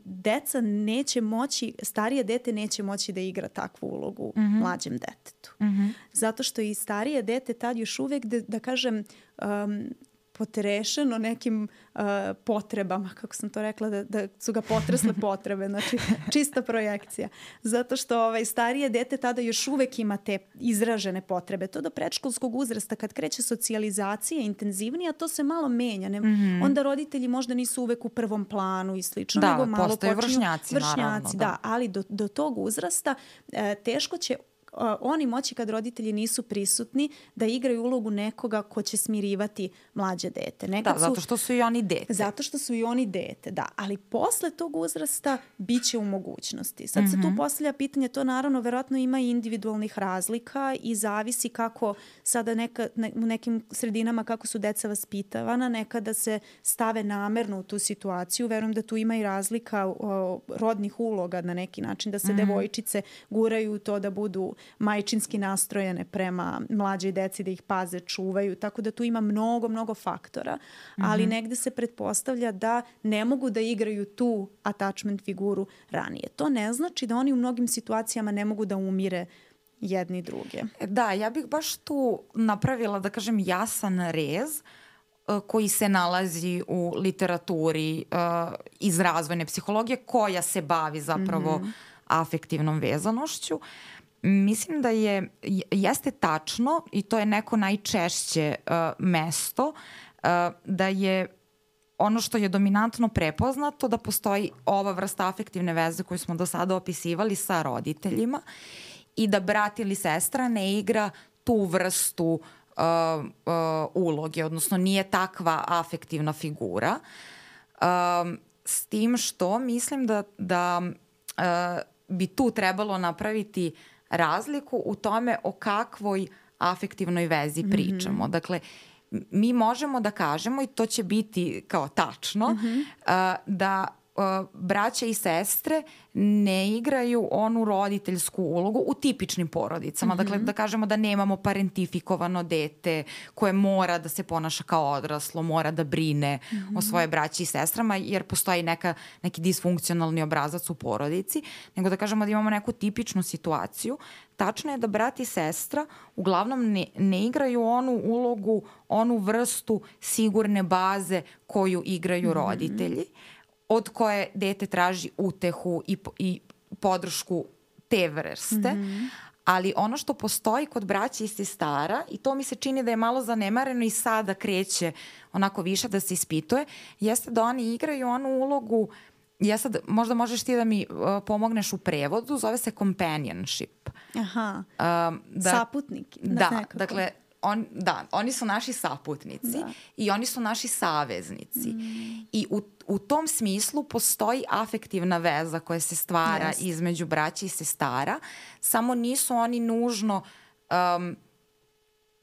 deca neće moći, starije dete neće moći da igra takvu ulogu mm-hmm. mlađem detetu. Mm-hmm. Zato što i starije dete tad još uvek, da, da kažem, um, potrešeno nekim uh, potrebama, kako sam to rekla, da, da su ga potresle potrebe, znači čista projekcija. Zato što ovaj, starije dete tada još uvek ima te izražene potrebe. To do predškolskog uzrasta, kad kreće socijalizacija intenzivnija, to se malo menja. Ne? Mm-hmm. Onda roditelji možda nisu uvek u prvom planu i slično, da, nego malo postoje počinju vršnjaci, vršnjaci naravno. Da, da ali do, do tog uzrasta e, teško će Uh, oni moći, kad roditelji nisu prisutni, da igraju ulogu nekoga ko će smirivati mlađe dete. Nekad da, zato što su i oni dete. Zato što su i oni dete, da. Ali posle tog uzrasta bit će u mogućnosti. Sad mm-hmm. se tu postavlja pitanje, to naravno verovatno ima i individualnih razlika i zavisi kako sada neka, ne, u nekim sredinama kako su deca vaspitavana, nekada se stave namerno u tu situaciju. Verujem da tu ima i razlika o, rodnih uloga na neki način, da se mm-hmm. devojčice guraju u to da budu majčinski nastrojene prema mlađoj deci, da ih paze, čuvaju, tako da tu ima mnogo, mnogo faktora, ali mm-hmm. negde se pretpostavlja da ne mogu da igraju tu attachment figuru ranije. To ne znači da oni u mnogim situacijama ne mogu da umire jedni druge. Da, ja bih baš tu napravila, da kažem, jasan rez uh, koji se nalazi u literaturi uh, iz razvojne psihologije, koja se bavi zapravo mm-hmm. afektivnom vezanošću. Mislim da je, jeste tačno, i to je neko najčešće uh, mesto, uh, da je ono što je dominantno prepoznato, da postoji ova vrsta afektivne veze koju smo do sada opisivali sa roditeljima i da brat ili sestra ne igra tu vrstu uh, uh, uloge, odnosno nije takva afektivna figura. Um, s tim što mislim da, da uh, bi tu trebalo napraviti razliku u tome o kakvoj afektivnoj vezi pričamo. Mm-hmm. Dakle, mi možemo da kažemo, i to će biti kao tačno, mm-hmm. uh, da uh, braća i sestre ne igraju onu roditeljsku ulogu u tipičnim porodicama. Mm-hmm. Dakle, da kažemo da nemamo parentifikovano dete koje mora da se ponaša kao odraslo, mora da brine mm-hmm. o svoje braći i sestrama, jer postoji neka, neki disfunkcionalni obrazac u porodici, nego da kažemo da imamo neku tipičnu situaciju. Tačno je da brat i sestra uglavnom ne, ne igraju onu ulogu, onu vrstu sigurne baze koju igraju mm-hmm. roditelji, od koje dete traži utehu i, i podršku te vrste. Mm-hmm. Ali ono što postoji kod braća i sestara, i to mi se čini da je malo zanemareno i sada kreće onako više da se ispituje, jeste da oni igraju onu ulogu, ja sad, možda možeš ti da mi uh, pomogneš u prevodu, zove se companionship. Aha, um, da, saputnik. Da, nekako. Dakle, On, da, oni su naši saputnici da. I oni su naši saveznici. Mm. I u, u tom smislu postoji afektivna veza koja se stvara yes. između braća i sestara, samo nisu oni nužno, um,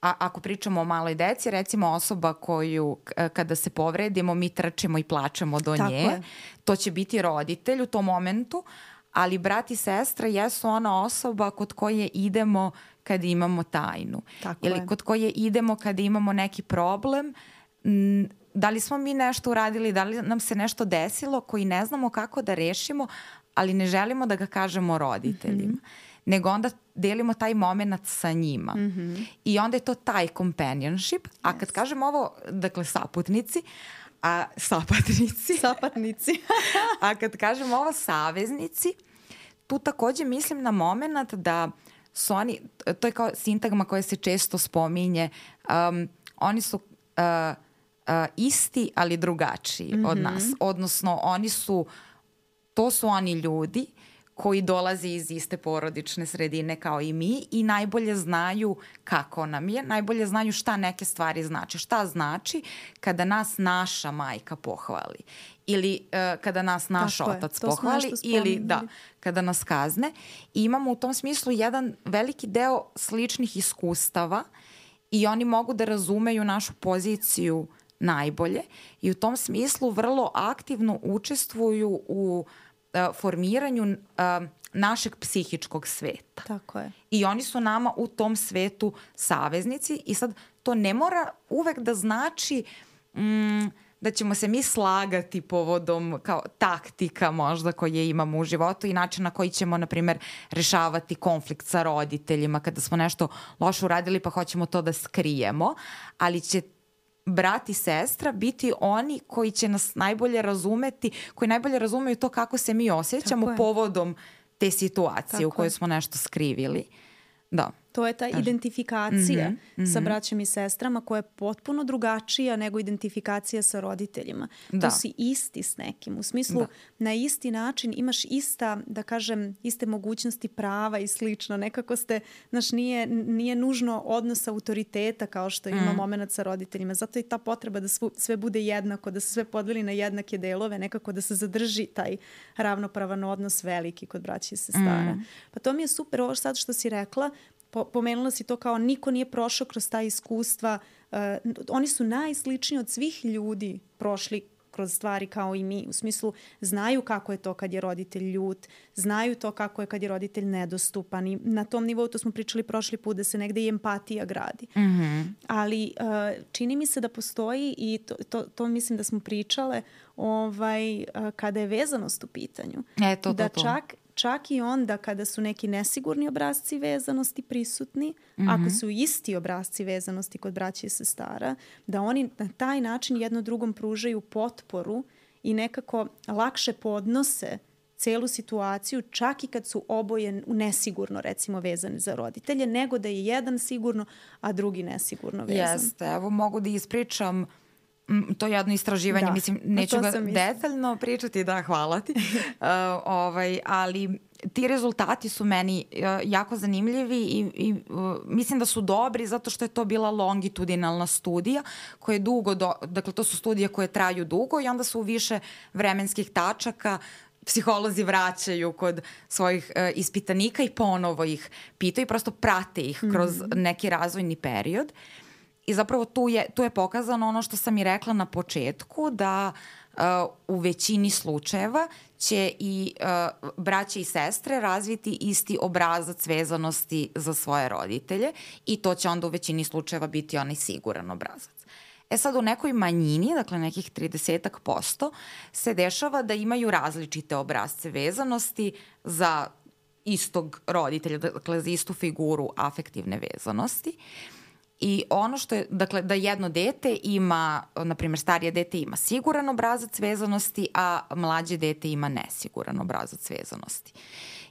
a, ako pričamo o maloj deci, recimo osoba koju kada se povredimo mi trčimo i plačemo do Tako nje, je. To će biti roditelj u tom momentu, ali brat i sestra jesu ona osoba kod koje idemo kad imamo tajnu. Tako ili je. Kod koje idemo kad imamo neki problem, m, da li smo mi nešto uradili, da li nam se nešto desilo koji ne znamo kako da rešimo, ali ne želimo da ga kažemo roditeljima. Mm-hmm. nego onda delimo taj moment sa njima. Mm-hmm. I onda je to taj companionship. A kad yes. kažem ovo, dakle, saputnici, a sapatnici. Sapatnici. A kad kažem ovo, saveznici, tu takođe mislim na moment da su oni, to je kao sintagma koja se često spominje, um, oni su uh, uh, isti, ali drugačiji mm-hmm. od nas. Odnosno, oni su, to su oni ljudi koji dolaze iz iste porodične sredine kao i mi i najbolje znaju kako nam je, najbolje znaju šta neke stvari znači. Šta znači kada nas naša majka pohvali ili uh, kada nas naš Tako otac je, pohvali ili da, kada nas kazne. I imamo u tom smislu jedan veliki deo sličnih iskustava i oni mogu da razumeju našu poziciju najbolje i u tom smislu vrlo aktivno učestvuju u uh, formiranju uh, našeg psihičkog sveta. Tako je. I oni su nama u tom svetu saveznici i sad to ne mora uvek da znači mm, da ćemo se mi slagati povodom kao taktika možda koje imamo u životu i način na koji ćemo, na primjer, rešavati konflikt sa roditeljima kada smo nešto loše uradili pa hoćemo to da skrijemo, ali će brat i sestra biti oni koji će nas najbolje razumeti, koji najbolje razumeju to kako se mi osjećamo povodom te situacije Tako u kojoj je. smo nešto skrivili. Da. To je ta Kaži. identifikacija mm-hmm, mm-hmm. sa braćom i sestrama koja je potpuno drugačija nego identifikacija sa roditeljima. Da. To si isti s nekim. U smislu, da. na isti način imaš ista, da kažem, iste mogućnosti prava i slično. Nekako ste, znaš, nije, nije nužno odnos autoriteta kao što ima mm. moment sa roditeljima. Zato je ta potreba da svu, sve bude jednako, da se sve podeli na jednake delove, nekako da se zadrži taj ravnopravan odnos veliki kod braća i sestara. Mm. Pa to mi je super ovo sad što si rekla. Pomenula si to kao niko nije prošao kroz ta iskustva. Uh, oni su najsličniji od svih ljudi prošli kroz stvari kao i mi. U smislu, znaju kako je to kad je roditelj ljut, znaju to kako je kad je roditelj nedostupan. I na tom nivou, to smo pričali prošli put, da se negde i empatija gradi. Mm-hmm. Ali uh, čini mi se da postoji, i to, to, to mislim da smo pričale, ovaj, uh, kada je vezanost u pitanju. E, to, to, da to. čak Čak i onda kada su neki nesigurni obrasci vezanosti prisutni, mm-hmm. ako su isti obrasci vezanosti kod braća i sestara, da oni na taj način jedno drugom pružaju potporu i nekako lakše podnose celu situaciju, čak i kad su oboje nesigurno, recimo, vezani za roditelje, nego da je jedan sigurno, a drugi nesigurno vezan. Jeste, evo mogu da ispričam to je jedno istraživanje, da. mislim, neću ga detaljno pričati, da, hvala ti, uh, ovaj, ali ti rezultati su meni uh, jako zanimljivi i, i uh, mislim da su dobri zato što je to bila longitudinalna studija koja je dugo, do, dakle to su studije koje traju dugo i onda su u više vremenskih tačaka psiholozi vraćaju kod svojih uh, ispitanika i ponovo ih pitaju i prosto prate ih kroz mm-hmm. neki razvojni period. I zapravo tu je, tu je pokazano ono što sam i rekla na početku, da uh, u većini slučajeva će i uh, braće i sestre razviti isti obrazac vezanosti za svoje roditelje i to će onda u većini slučajeva biti onaj siguran obrazac. E sad u nekoj manjini, dakle nekih tridesetak posto, se dešava da imaju različite obrazce vezanosti za istog roditelja, dakle za istu figuru afektivne vezanosti. I ono što je, dakle, da jedno dete ima, na primjer starije dete ima siguran obrazac vezanosti, a mlađe dete ima nesiguran obrazac vezanosti.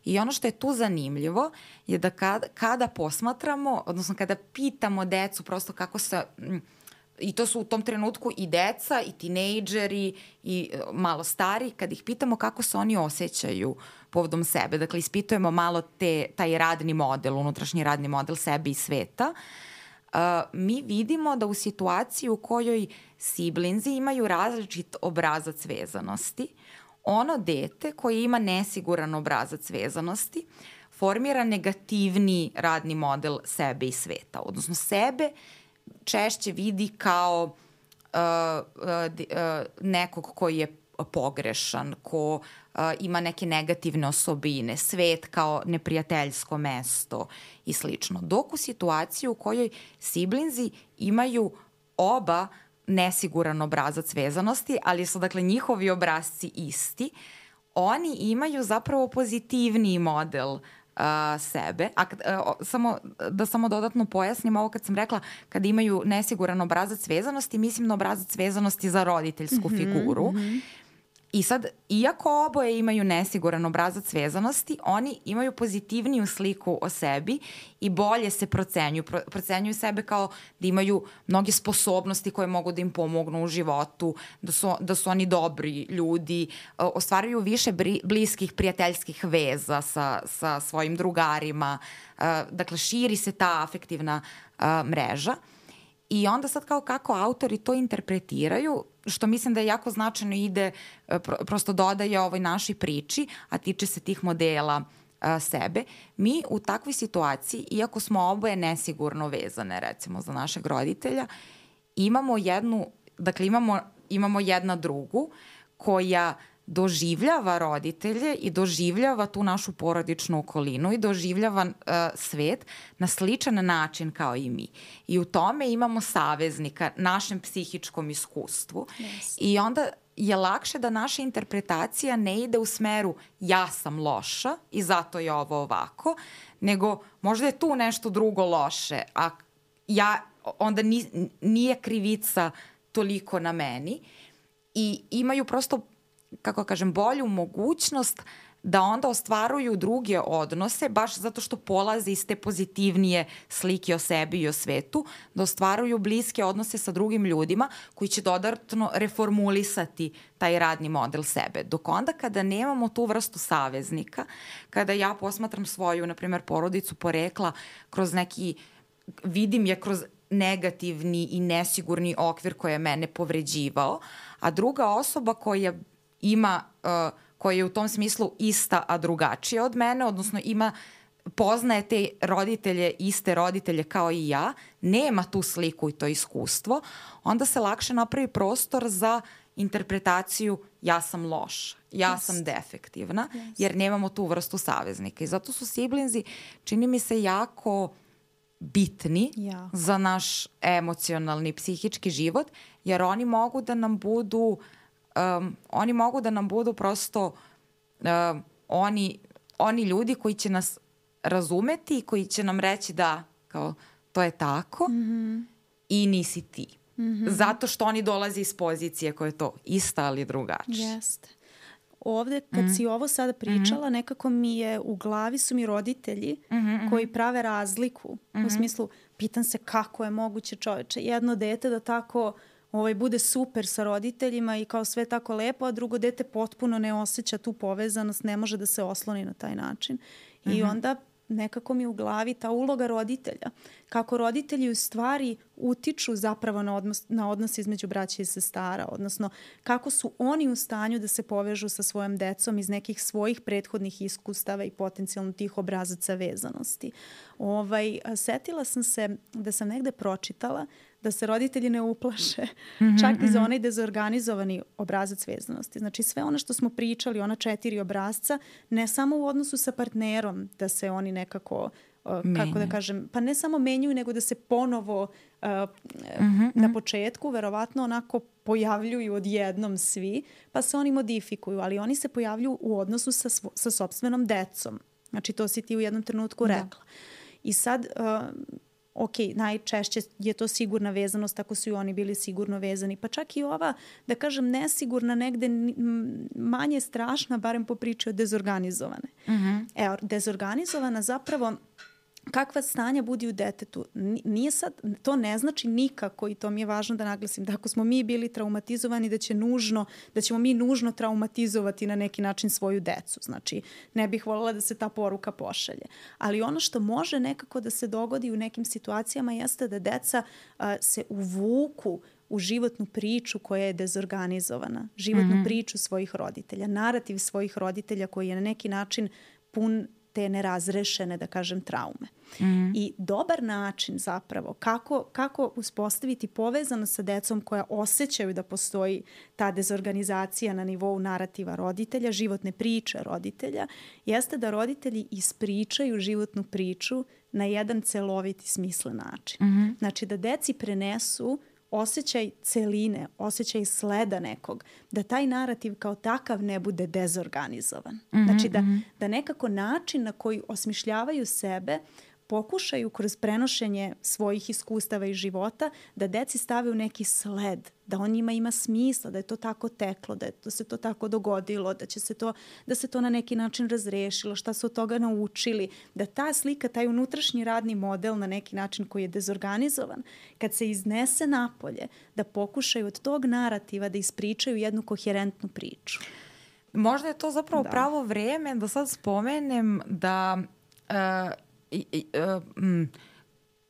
I ono što je tu zanimljivo je da kada, kada posmatramo, odnosno kada pitamo decu prosto kako se, i to su u tom trenutku i deca i tinejdžeri i malo stari, kad ih pitamo kako se oni osjećaju povodom sebe, dakle ispitujemo malo te, taj radni model, unutrašnji radni model sebe i sveta, Uh, mi vidimo da u situaciji u kojoj siblinzi imaju različit obrazac vezanosti, ono dete koje ima nesiguran obrazac vezanosti formira negativni radni model sebe i sveta. Odnosno sebe češće vidi kao uh, uh, uh, nekog koji je pogrešan, ko uh, ima neke negativne osobine, svet kao neprijateljsko mesto i slično. Dok u situaciji u kojoj siblinzi imaju oba nesiguran obrazac vezanosti, ali su dakle njihovi obrazci isti, oni imaju zapravo pozitivniji model uh, uh, sebe. A uh, samo, da samo dodatno pojasnim ovo kad sam rekla kad imaju nesiguran obrazac vezanosti, mislim na obrazac vezanosti za roditeljsku mm-hmm, figuru. Mm-hmm. I sad, iako oboje imaju nesiguran obrazac vezanosti, oni imaju pozitivniju sliku o sebi i bolje se procenjuju. Pro, procenjuju sebe kao da imaju mnoge sposobnosti koje mogu da im pomognu u životu, da su, da su oni dobri ljudi, ostvaruju više bri, bliskih prijateljskih veza sa, sa svojim drugarima. Dakle, širi se ta afektivna mreža. I onda sad kao kako autori to interpretiraju, što mislim da je jako značajno ide, prosto dodaje ovoj našoj priči, a tiče se tih modela a, sebe. Mi u takvoj situaciji, iako smo oboje nesigurno vezane, recimo za našeg roditelja, imamo jednu, dakle imamo, imamo jedna drugu koja doživljava roditelje i doživljava tu našu porodičnu okolinu i doživljava uh, svet na sličan način kao i mi. I u tome imamo saveznika, našem psihičkom iskustvu. Yes. I onda je lakše da naša interpretacija ne ide u smeru ja sam loša i zato je ovo ovako, nego možda je tu nešto drugo loše, a ja, onda ni, nije krivica toliko na meni i imaju prosto, kako kažem, bolju mogućnost da onda ostvaruju druge odnose, baš zato što polaze iz te pozitivnije slike o sebi i o svetu, da ostvaruju bliske odnose sa drugim ljudima koji će dodatno reformulisati taj radni model sebe. Dok onda kada nemamo tu vrstu saveznika, kada ja posmatram svoju, na primjer, porodicu porekla kroz neki, vidim je kroz negativni i nesigurni okvir koji je mene povređivao, a druga osoba koja ima, uh, koja je u tom smislu ista, a drugačija od mene, odnosno ima, poznaje te roditelje, iste roditelje kao i ja, nema tu sliku i to iskustvo, onda se lakše napravi prostor za interpretaciju ja sam loša, ja yes. sam defektivna, yes. jer nemamo tu vrstu saveznika. I zato su siblinzi, čini mi se, jako bitni ja. za naš emocionalni, psihički život, jer oni mogu da nam budu Um, oni mogu da nam budu prosto um, oni, oni ljudi koji će nas razumeti i koji će nam reći da kao, to je tako mm-hmm. i nisi ti. Mm-hmm. Zato što oni dolaze iz pozicije koja je to ista ali drugačija. Jeste. Ovde, kad mm-hmm. si ovo sada pričala, mm-hmm. nekako mi je, u glavi su mi roditelji mm-hmm. koji prave razliku. Mm-hmm. U smislu, pitam se kako je moguće, čoveče, jedno dete da tako ovaj, bude super sa roditeljima i kao sve tako lepo, a drugo dete potpuno ne osjeća tu povezanost, ne može da se osloni na taj način. Mm-hmm. I onda nekako mi u glavi ta uloga roditelja. Kako roditelji u stvari utiču zapravo na odnos, na odnos između braća i sestara, odnosno kako su oni u stanju da se povežu sa svojom decom iz nekih svojih prethodnih iskustava i potencijalno tih obrazaca vezanosti. Ovaj, setila sam se da sam negde pročitala da se roditelji ne uplaše, mm-hmm, čak i za onaj dezorganizovani obrazac vezanosti. Znači sve ono što smo pričali, ona četiri obrazca, ne samo u odnosu sa partnerom, da se oni nekako, uh, kako da kažem, pa ne samo menjuju, nego da se ponovo uh, mm-hmm, na početku verovatno onako pojavljuju odjednom svi, pa se oni modifikuju, ali oni se pojavljuju u odnosu sa, svo, sa sopstvenom decom. Znači to si ti u jednom trenutku rekla. Da. I sad... Uh, ok, najčešće je to sigurna vezanost ako su i oni bili sigurno vezani. Pa čak i ova, da kažem, nesigurna negde manje strašna, barem po priči o dezorganizovane. Mm-hmm. Evo, dezorganizovana zapravo, kakva stanja budi u detetu, nije sad, to ne znači nikako, i to mi je važno da naglasim, da ako smo mi bili traumatizovani, da će nužno, da ćemo mi nužno traumatizovati na neki način svoju decu. Znači, ne bih voljela da se ta poruka pošalje. Ali ono što može nekako da se dogodi u nekim situacijama jeste da deca a, se uvuku u životnu priču koja je dezorganizovana, životnu mm-hmm. priču svojih roditelja, narativ svojih roditelja koji je na neki način pun te nerazrešene, da kažem, traume. Mm-hmm. I dobar način zapravo kako, kako uspostaviti povezano sa decom koja osjećaju da postoji ta dezorganizacija na nivou narativa roditelja, životne priče roditelja, jeste da roditelji ispričaju životnu priču na jedan celovit i smislen način. Mm-hmm. Znači da deci prenesu osjećaj celine, osjećaj sleda nekog, da taj narativ kao takav ne bude dezorganizovan. Mm-hmm, znači da, mm-hmm. da nekako način na koji osmišljavaju sebe pokušaju kroz prenošenje svojih iskustava i života da deci stave u neki sled, da on njima ima smisla, da je to tako teklo, da, je, da se to tako dogodilo, da će se to, da se to na neki način razrešilo, šta su od toga naučili, da ta slika, taj unutrašnji radni model na neki način koji je dezorganizovan, kad se iznese napolje, da pokušaju od tog narativa da ispričaju jednu koherentnu priču. Možda je to zapravo da. pravo vreme da sad spomenem da uh, I, i, uh, m,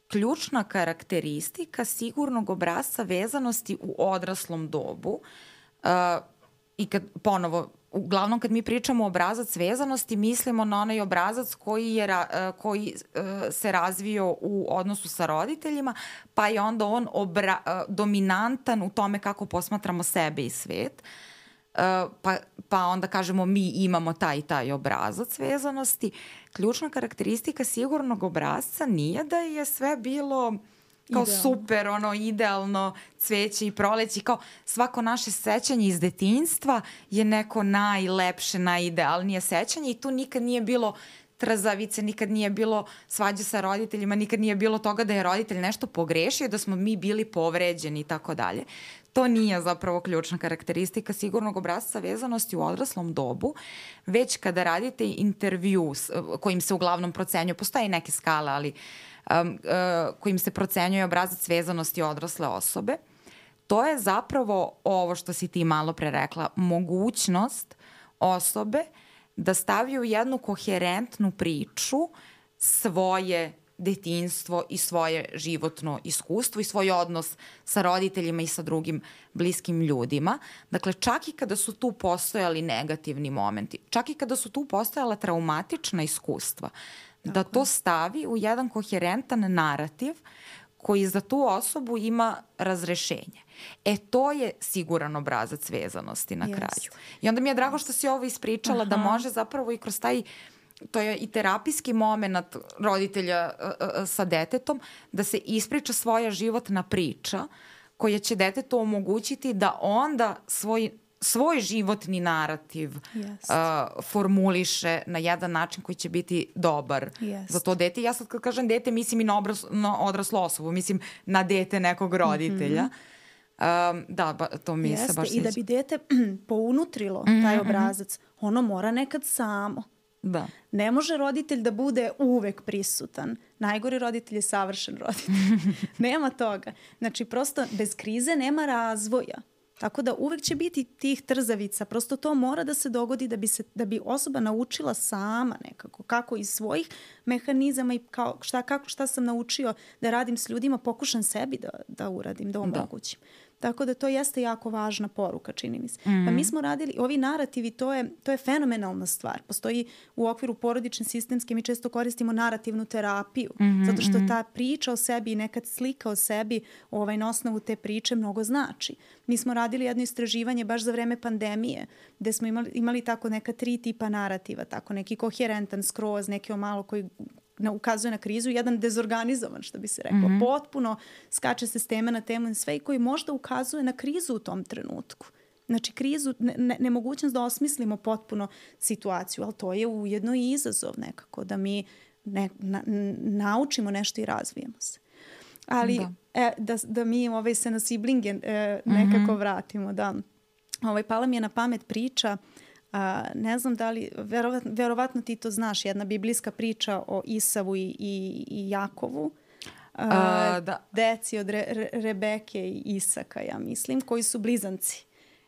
ključna karakteristika sigurnog obrasca vezanosti u odraslom dobu uh, i kad ponovo, uglavnom kad mi pričamo o obrazac vezanosti, mislimo na onaj obrazac koji, je, uh, koji uh, se razvio u odnosu sa roditeljima, pa je onda on obra, uh, dominantan u tome kako posmatramo sebe i svet. Uh, pa, pa onda kažemo mi imamo taj i taj obrazac vezanosti. Ključna karakteristika sigurnog obrazca nije da je sve bilo kao idealno. Super, ono, idealno cveće i proleće, kao svako naše sećanje iz detinjstva je neko najlepše, najidealnije sećanje i tu nikad nije bilo trzavice, nikad nije bilo svađe sa roditeljima, nikad nije bilo toga da je roditelj nešto pogrešio, da smo mi bili povređeni i tako dalje. To nije zapravo ključna karakteristika sigurnog obrasca vezanosti u odraslom dobu, već kada radite intervju kojim se uglavnom procenjuje, postoje neke skale, ali um, uh, kojim se procenjuje obrazac vezanosti odrasle osobe, to je zapravo ovo što si ti malo pre rekla, mogućnost osobe da stavi u jednu koherentnu priču svoje detinjstvo i svoje životno iskustvo i svoj odnos sa roditeljima i sa drugim bliskim ljudima. Dakle, čak i kada su tu postojali negativni momenti, čak i kada su tu postojala traumatična iskustva, Tako. da to stavi u jedan koherentan narativ koji za tu osobu ima razrešenje. E, to je siguran obrazac vezanosti na yes. kraju. I onda mi je drago što si ovo ispričala, Aha. da može zapravo i kroz taj, to je i terapijski moment roditelja uh, uh, sa detetom, da se ispriča svoja životna priča koja će detetu omogućiti da onda svoj svoj životni narativ yes. uh, formuliše na jedan način koji će biti dobar yes. za to dete. Ja sad kad kažem dete, mislim i na, obras, na odraslu osobu, mislim na dete nekog roditelja. Mm-hmm. Um, da, ba, to mi Jeste. se baš sjeća. I da bi dete pounutrilo mm-hmm. taj obrazac, ono mora nekad samo. Da. Ne može roditelj da bude uvek prisutan. Najgori roditelj je savršen roditelj. Nema toga. Znači, prosto bez krize nema razvoja. Tako da uvek će biti tih trzavica. Prosto to mora da se dogodi da bi, se, da bi osoba naučila sama nekako. Kako iz svojih mehanizama i kao šta, kako, šta sam naučio da radim s ljudima, pokušam sebi da, da uradim, da omogućim. Da. Tako da to jeste jako važna poruka, čini mi se. Mm-hmm. Pa mi smo radili, ovi narativi, to je, to je fenomenalna stvar. Postoji u okviru porodične sistemske, mi često koristimo narativnu terapiju, mm-hmm. zato što ta priča o sebi i nekad slika o sebi ovaj, na osnovu te priče mnogo znači. Mi smo radili jedno istraživanje baš za vreme pandemije, gde smo imali, imali tako neka tri tipa narativa, tako neki koherentan, skroz, neki o malo koji ukazuje na krizu, jedan dezorganizovan, što bi se reklo. Mm-hmm. Potpuno skače se s teme na temu sve i koji možda ukazuje na krizu u tom trenutku. Znači, krizu, ne, nemogućnost da osmislimo potpuno situaciju, ali to je ujedno i izazov nekako, da mi ne, na, naučimo nešto i razvijemo se. Ali da, e, da, da mi ovaj, se na siblinge e, nekako mm-hmm. vratimo. Da. Ovaj, pala mi je na pamet priča. Uh, ne znam da li, verovatno, verovatno ti to znaš, jedna biblijska priča o Isavu i, i, i Jakovu. Uh, uh, da. Deci od Re, Re, Rebeke i Isaka, ja mislim, koji su blizanci.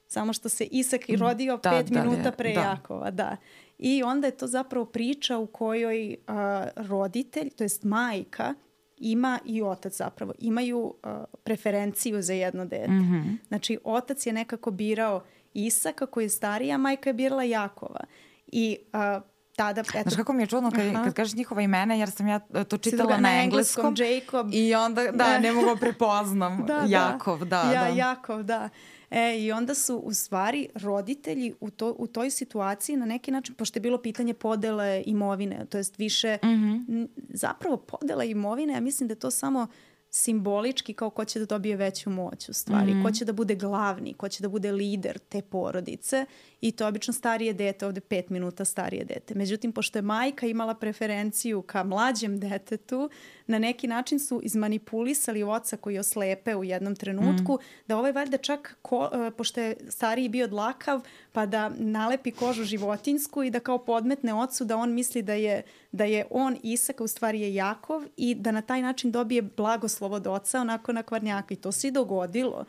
Samo što se Isak i rodio da, pet da, minuta pre da. Jakova. Da. I onda je to zapravo priča u kojoj uh, roditelj, to jest majka, ima i otac zapravo, imaju uh, preferenciju za jedno dete. Mm-hmm. Znači, otac je nekako birao Isaka koji je starija, majka je birala Jakova. I uh, tada... Eto, znaš kako mi je čudno kad, kad kažeš njihova imena, jer sam ja to čitala na engleskom. Jacob. I onda, da, ne mogu prepoznam. da, Jakov, da. da, ja, da. Jakov, da. E, I onda su u stvari roditelji u, to, u toj situaciji na neki način, pošto je bilo pitanje podele imovine, to jest više, mm-hmm. zapravo podela imovine, ja mislim da je to samo simbolički kao ko će da dobije veću moć u stvari, mm-hmm. ko će da bude glavni, ko će da bude lider te porodice i to je obično starije dete, ovde pet minuta starije dete. Međutim, pošto je majka imala preferenciju ka mlađem detetu, na neki način su izmanipulisali oca koji je oslepe u jednom trenutku, mm. da ovaj valjda čak, ko, pošto je stariji bio dlakav, pa da nalepi kožu životinjsku i da kao podmetne ocu da on misli da je, da je on Isak, a u stvari je Jakov i da na taj način dobije blagoslov od oca onako na kvarnjaka. I to se i dogodilo.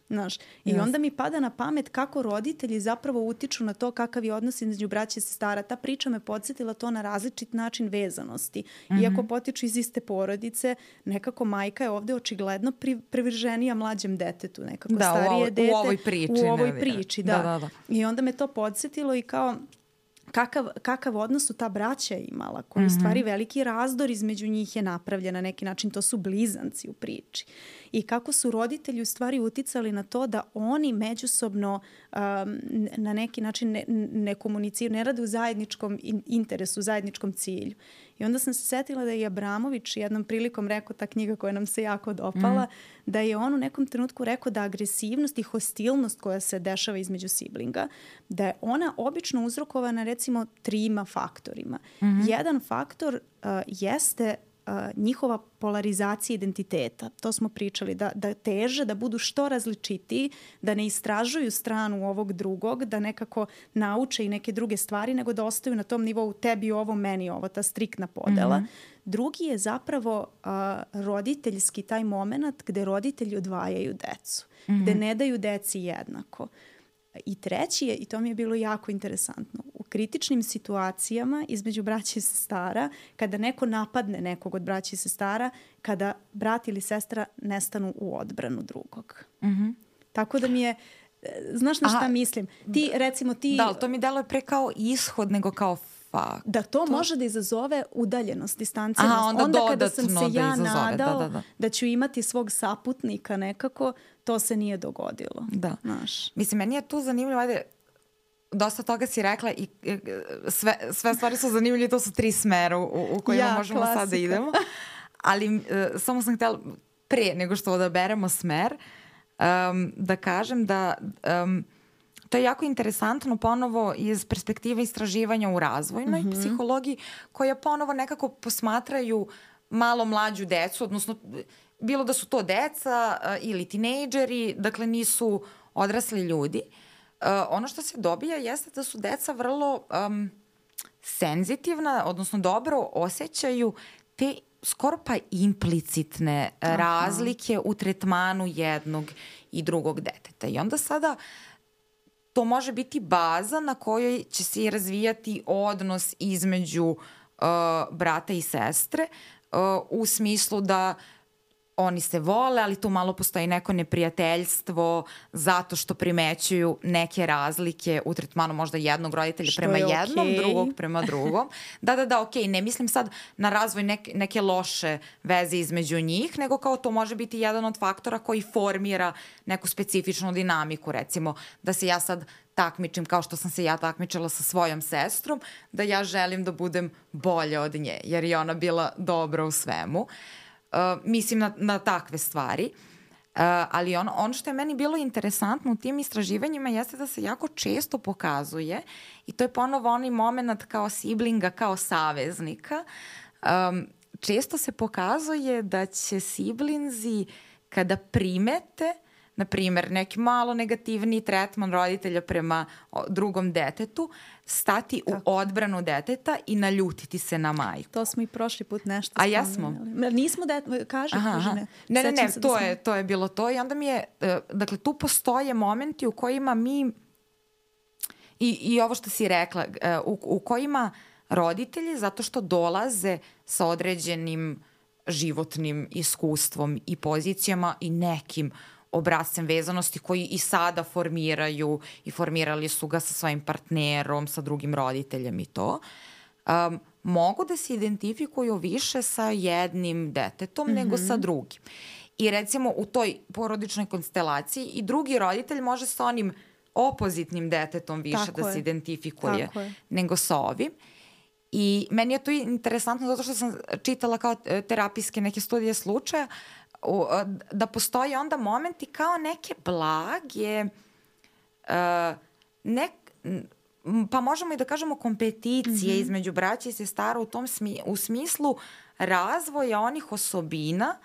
Znaš, i yes. onda mi pada na pamet kako roditelji zapravo utiču na to kakav je odnos između braće i sestara. Ta priča me podsjetila to na različit način vezanosti. Mm-hmm. Iako potiču iz iste porodice, nekako majka je ovde očigledno pri, privrženija mlađem detetu. Nekako da, starije u ovoj, dete. U ovoj priči. U ovoj priči, da. Da, da, da. I onda me to podsjetilo i kao... Kakav, kakav odnos su ta braća imala, koji mm-hmm. u stvari veliki razdor između njih je napravljen na neki način, to su blizanci u priči. I kako su roditelji u stvari uticali na to da oni međusobno um, na neki način ne, ne komuniciraju, ne rade u zajedničkom interesu, u zajedničkom cilju. I onda sam se setila da je Abramović jednom prilikom rekao, ta knjiga koja nam se jako dopala, mm. da je on u nekom trenutku rekao da agresivnost i hostilnost koja se dešava između siblinga, da je ona obično uzrokovana recimo trima faktorima. Mm-hmm. Jedan faktor uh, jeste uh, njihova polarizacija identiteta. To smo pričali, da, da teže, da budu što različitiji, da ne istražuju stranu ovog drugog, da nekako nauče i neke druge stvari, nego da ostaju na tom nivou tebi ovo, meni ovo, ta striktna podela. Mm-hmm. Drugi je zapravo uh, roditeljski taj moment gde roditelji odvajaju decu, mm-hmm. gde ne daju deci jednako. I treći je, i to mi je bilo jako interesantno, u kritičnim situacijama između braća i sestara, kada neko napadne nekog od braća i sestara, kada brat ili sestra nestanu u odbranu drugog. Mm-hmm. Tako da mi je, znaš na šta Aha, mislim? Ti, recimo ti... Da, to mi deluje pre kao ishod nego kao fakt. Da to, to može da izazove udaljenost, distancijenost. Aha, onda, onda kada sam se da ja izazove. nadao da, da, da. da ću imati svog saputnika nekako, to se nije dogodilo. Da. Znaš. Mislim, meni je tu zanimljivo, ajde, dosta toga si rekla i sve, sve stvari su zanimljive, to su tri smera u, u kojima ja, možemo klasika. sad da idemo. Ali uh, samo sam htjela, pre nego što odaberemo smer, um, da kažem da um, to je jako interesantno ponovo iz perspektive istraživanja u razvojnoj mm-hmm. psihologiji, koja ponovo nekako posmatraju malo mlađu decu, odnosno bilo da su to deca uh, ili tinejdžeri, dakle nisu odrasli ljudi. Uh, ono što se dobija jeste da su deca vrlo um, senzitivna, odnosno dobro osjećaju te skoro pa implicitne Aha. razlike u tretmanu jednog i drugog deteta. I onda sada to može biti baza na kojoj će se razvijati odnos između uh, brata i sestre uh, u smislu da oni se vole, ali tu malo postoji neko neprijateljstvo zato što primećuju neke razlike u tretmanu možda jednog roditelja što prema jednom, okay. drugog prema drugom. Da, da, da, okej, okay. ne mislim sad na razvoj neke, neke loše veze između njih, nego kao to može biti jedan od faktora koji formira neku specifičnu dinamiku, recimo da se ja sad takmičim kao što sam se ja takmičila sa svojom sestrom, da ja želim da budem bolja od nje, jer je ona bila dobra u svemu. Uh, mislim na, na takve stvari. Uh, ali on, ono što je meni bilo interesantno u tim istraživanjima jeste da se jako često pokazuje, i to je ponovo onaj moment kao siblinga, kao saveznika, um, često se pokazuje da će siblinzi kada primete na primjer, neki malo negativni tretman roditelja prema drugom detetu, stati Tako. u odbranu deteta i naljutiti se na majku. To smo i prošli put nešto A jesmo? Nismo dete, kaže, aha, kaže aha. ne. Ne, ne, ne, da to, smo... je, to je bilo to i onda mi je, dakle, tu postoje momenti u kojima mi, i, i ovo što si rekla, u, u kojima roditelji, zato što dolaze sa određenim životnim iskustvom i pozicijama i nekim obrascem vezanosti koji i sada formiraju i formirali su ga sa svojim partnerom, sa drugim roditeljem i to, um, mogu da se identifikuju više sa jednim detetom mm-hmm. nego sa drugim. I recimo u toj porodičnoj konstelaciji i drugi roditelj može sa onim opozitnim detetom više Tako da je. se identifikuje nego sa ovim. I meni je to interesantno zato što sam čitala kao terapijske neke studije slučaja da postoji onda momenti kao neke blage, uh, nek, pa možemo i da kažemo kompeticije mm-hmm. između braća i sestara u tom smi, u smislu razvoja onih osobina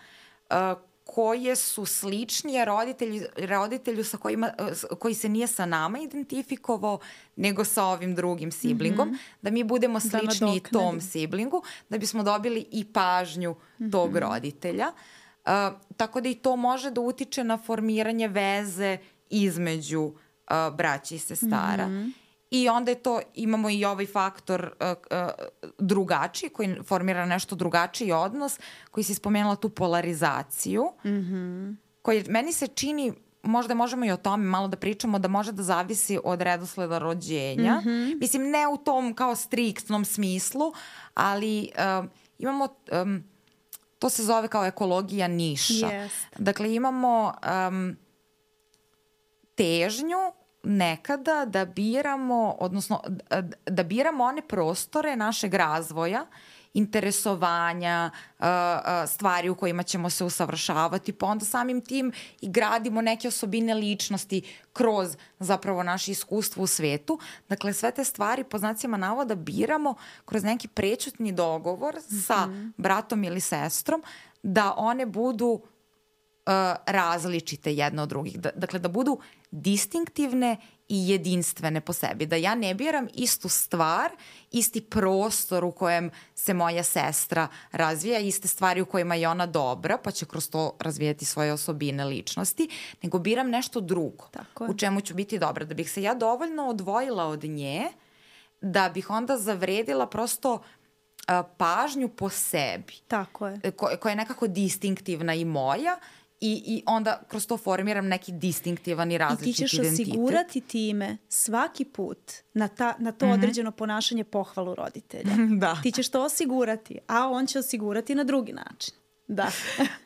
uh, koje su sličnije roditelju, roditelju sa kojima, koji se nije sa nama identifikovao, nego sa ovim drugim siblingom, mm-hmm. da mi budemo slični tom siblingu, da bismo dobili i pažnju mm-hmm. tog roditelja. Uh, tako da i to može da utiče na formiranje veze između uh, braća i sestara. Mm-hmm. I onda je to, imamo i ovaj faktor uh, uh, drugačiji, koji formira nešto drugačiji odnos, koji si spomenula tu polarizaciju, mm-hmm. koji meni se čini, možda možemo i o tome malo da pričamo, da može da zavisi od redosleda rođenja. Mm-hmm. Mislim, ne u tom kao striktnom smislu, ali uh, imamo, um, to se zove kao ekologija niša. Yes. Dakle, imamo um, težnju nekada da biramo, odnosno da biramo one prostore našeg razvoja, interesovanja, stvari u kojima ćemo se usavršavati, pa onda samim tim i gradimo neke osobine ličnosti kroz zapravo naše iskustvo u svetu. Dakle, sve te stvari po znacima navoda biramo kroz neki prećutni dogovor mm-hmm. sa bratom ili sestrom, da one budu Uh, različite jedna od drugih. Da, dakle, da budu distinktivne i jedinstvene po sebi. Da ja ne biram istu stvar, isti prostor u kojem se moja sestra razvija, iste stvari u kojima je ona dobra, pa će kroz to razvijati svoje osobine ličnosti, nego biram nešto drugo. Tako u čemu ću biti dobra. Da bih se ja dovoljno odvojila od nje, da bih onda zavredila prosto uh, pažnju po sebi. Tako je. Ko, koja je nekako distinktivna i moja, I, i onda kroz to formiram neki distinktivan i različit identitet. I ti ćeš identitet. Osigurati time svaki put na, ta, na to mm-hmm. određeno ponašanje pohvalu roditelja. Da. Ti ćeš to osigurati, a on će osigurati na drugi način. Da.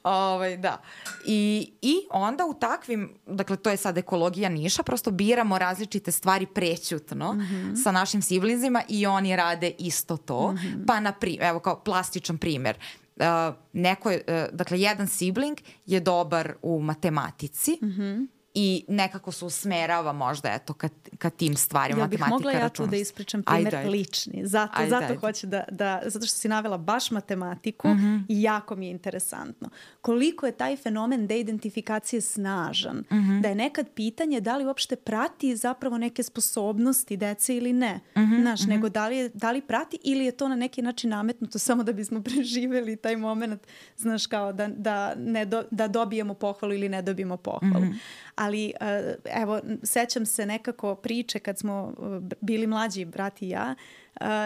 ovaj, da. I, I onda u takvim, dakle to je sad ekologija niša, prosto biramo različite stvari prećutno mm-hmm. sa našim siblizima i oni rade isto to. Mm-hmm. Pa na primjer, evo kao plastičan primjer, Uh, neko je, uh, dakle, jedan sibling je dobar u matematici mm-hmm. i nekako se usmerava možda eto ka, ka tim stvarima, ja bih matematika, mogla ja tu da ispričam primjer ajde, ajde. lični. Zato, ajde, zato ajde. hoću da, da, zato što si navela baš matematiku mm-hmm. i jako mi je interesantno. Koliko je taj fenomen deidentifikacije snažan, mm-hmm. da je nekad pitanje da li uopšte prati zapravo neke sposobnosti dece ili ne. Mm-hmm. Znaš, mm-hmm. nego da li, je, da li prati ili je to na neki način nametnuto samo da bismo preživeli taj moment, znaš, kao da, da, ne do, da dobijemo pohvalu ili ne dobijemo pohvalu. Mm-hmm. Ali evo, sećam se nekako priče kad smo bili mlađi, brat i ja,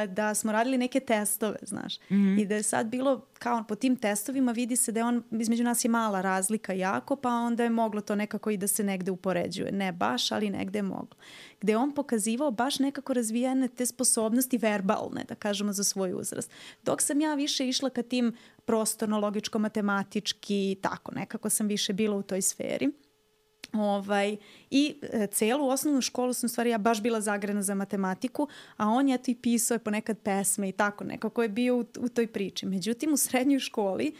da smo radili neke testove, znaš. Mm-hmm. I da je sad bilo, kao po tim testovima vidi se da je on, između nas je mala razlika jako, pa onda je moglo to nekako i da se negde upoređuje. Ne baš, ali negde je moglo. Gde je on pokazivao baš nekako razvijene te sposobnosti verbalne, da kažemo, za svoj uzrast. Dok sam ja više išla ka tim prostorno-logičko-matematički, tako, nekako sam više bila u toj sferi. Ovaj, i e, celu osnovnu školu sam, u stvari, ja baš bila zagrena za matematiku, a on je to i pisao je ponekad pesme i tako, nekako je bio u, u toj priči. Međutim, u srednjoj školi